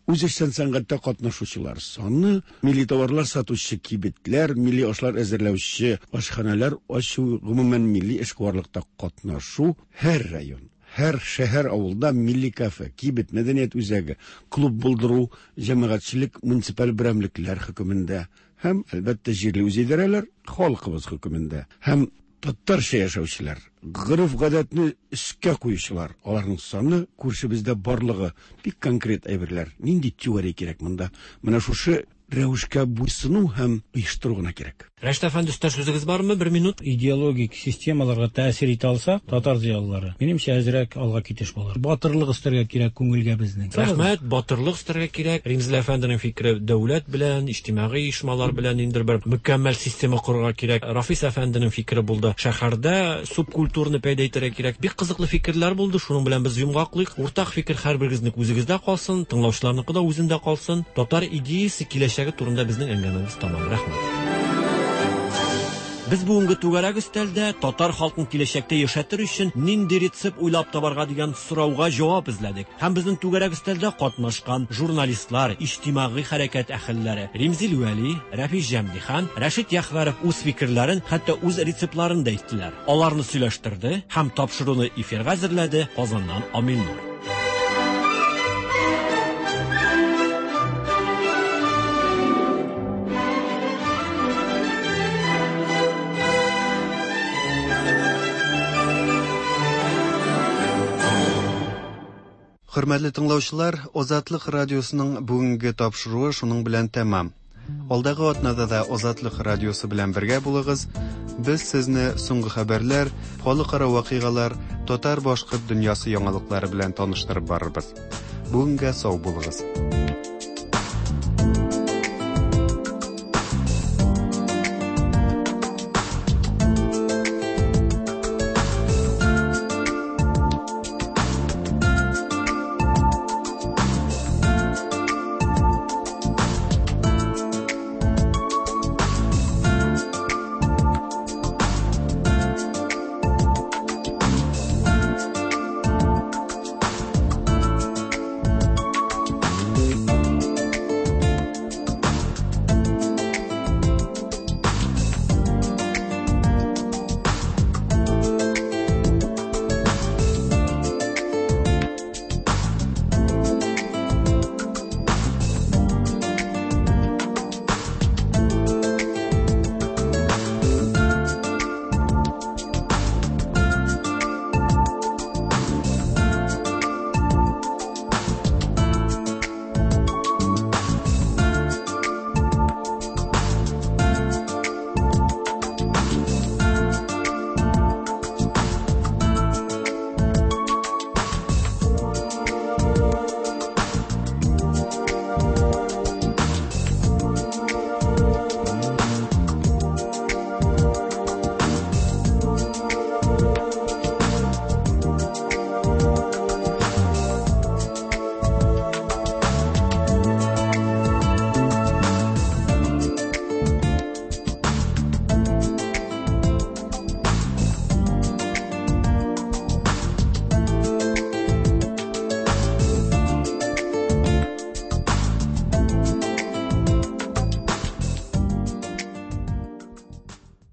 үзешчән сәнгатьтә катнашучылар саны, милли товарлар сатучы кибетләр, милли ашлар әзерләүче ашханәләр ачу, гомумән милли эшкуарлыкта катнашу, һәр район, һәр шәһәр авылда милли кафе, кибет, мәдәният үзәге, клуб булдыру, җәмәгатьчелек, муниципаль берәмлекләр хөкемендә һәм, әлбәттә, җирле үзидарәләр халкыбыз хөкемендә һәм татарча яшәүчеләр, гореф-гадәтне өскә куючылар, аларның саны күршебездә барлыгы бик конкрет әйберләр. Нинди теория кирәк монда? Менә шушы рәвешкә буйсыну һәм оештыру гына кирәк. Рәшит әфәнде, өстәш сүзегез бармы? Бер минут. Идеологик системаларга тәэсир итә алсак, татар зыялылары, минемчә, әзрәк алга китеш булыр. Батырлык өстәргә кирәк күңелгә безнең. Рәхмәт, батырлык өстәргә кирәк. Римзил әфәнденең фикере дәүләт белән, иҗтимагый оешмалар белән ниндидер бер мөкәммәл система корырга кирәк. Рафис әфәнденең фикере булды. Шәһәрдә субкультураны пәйда итәргә кирәк. Бик кызыклы фикерләр булды. Шуның белән без йомгаклыйк. Уртак фикер һәрберегезнең үзегездә калсын, тыңлаучыларныкы да үзендә калсын. Татар идеясе киләчәге турында безнең әңгәмәбез тамам. Рәхмәт. Без бүгенге түгәрәк өстәлдә татар халкын киләчәктә яшәтер өчен нинди рецепт уйлап табарга дигән сорауга җавап эзләдек. Һәм безнең түгәрәк өстәлдә катнашкан журналистлар, иҗтимагый хәрәкәт әһелләре Римзил Вәли, Рәфис Җәмдихан, Рәшит Яхвәров үз фикерләрен, хәтта үз рецептларын да әйттеләр. Аларны сөйләштерде һәм тапшыруны эфирга әзерләде Казаннан Амил Нур. Хөрмәтле тыңлаучылар, Азатлык радиосының бүгенге тапшыруы шуның белән тәмам. Алдагы атнада да Азатлык радиосы белән бергә булыгыз. Без сезне соңгы хәбәрләр, халыкара вакыйгалар, татар-башкорт дөньясы яңалыклары белән таныштырып барырбыз. Бүгенгә сау булыгыз.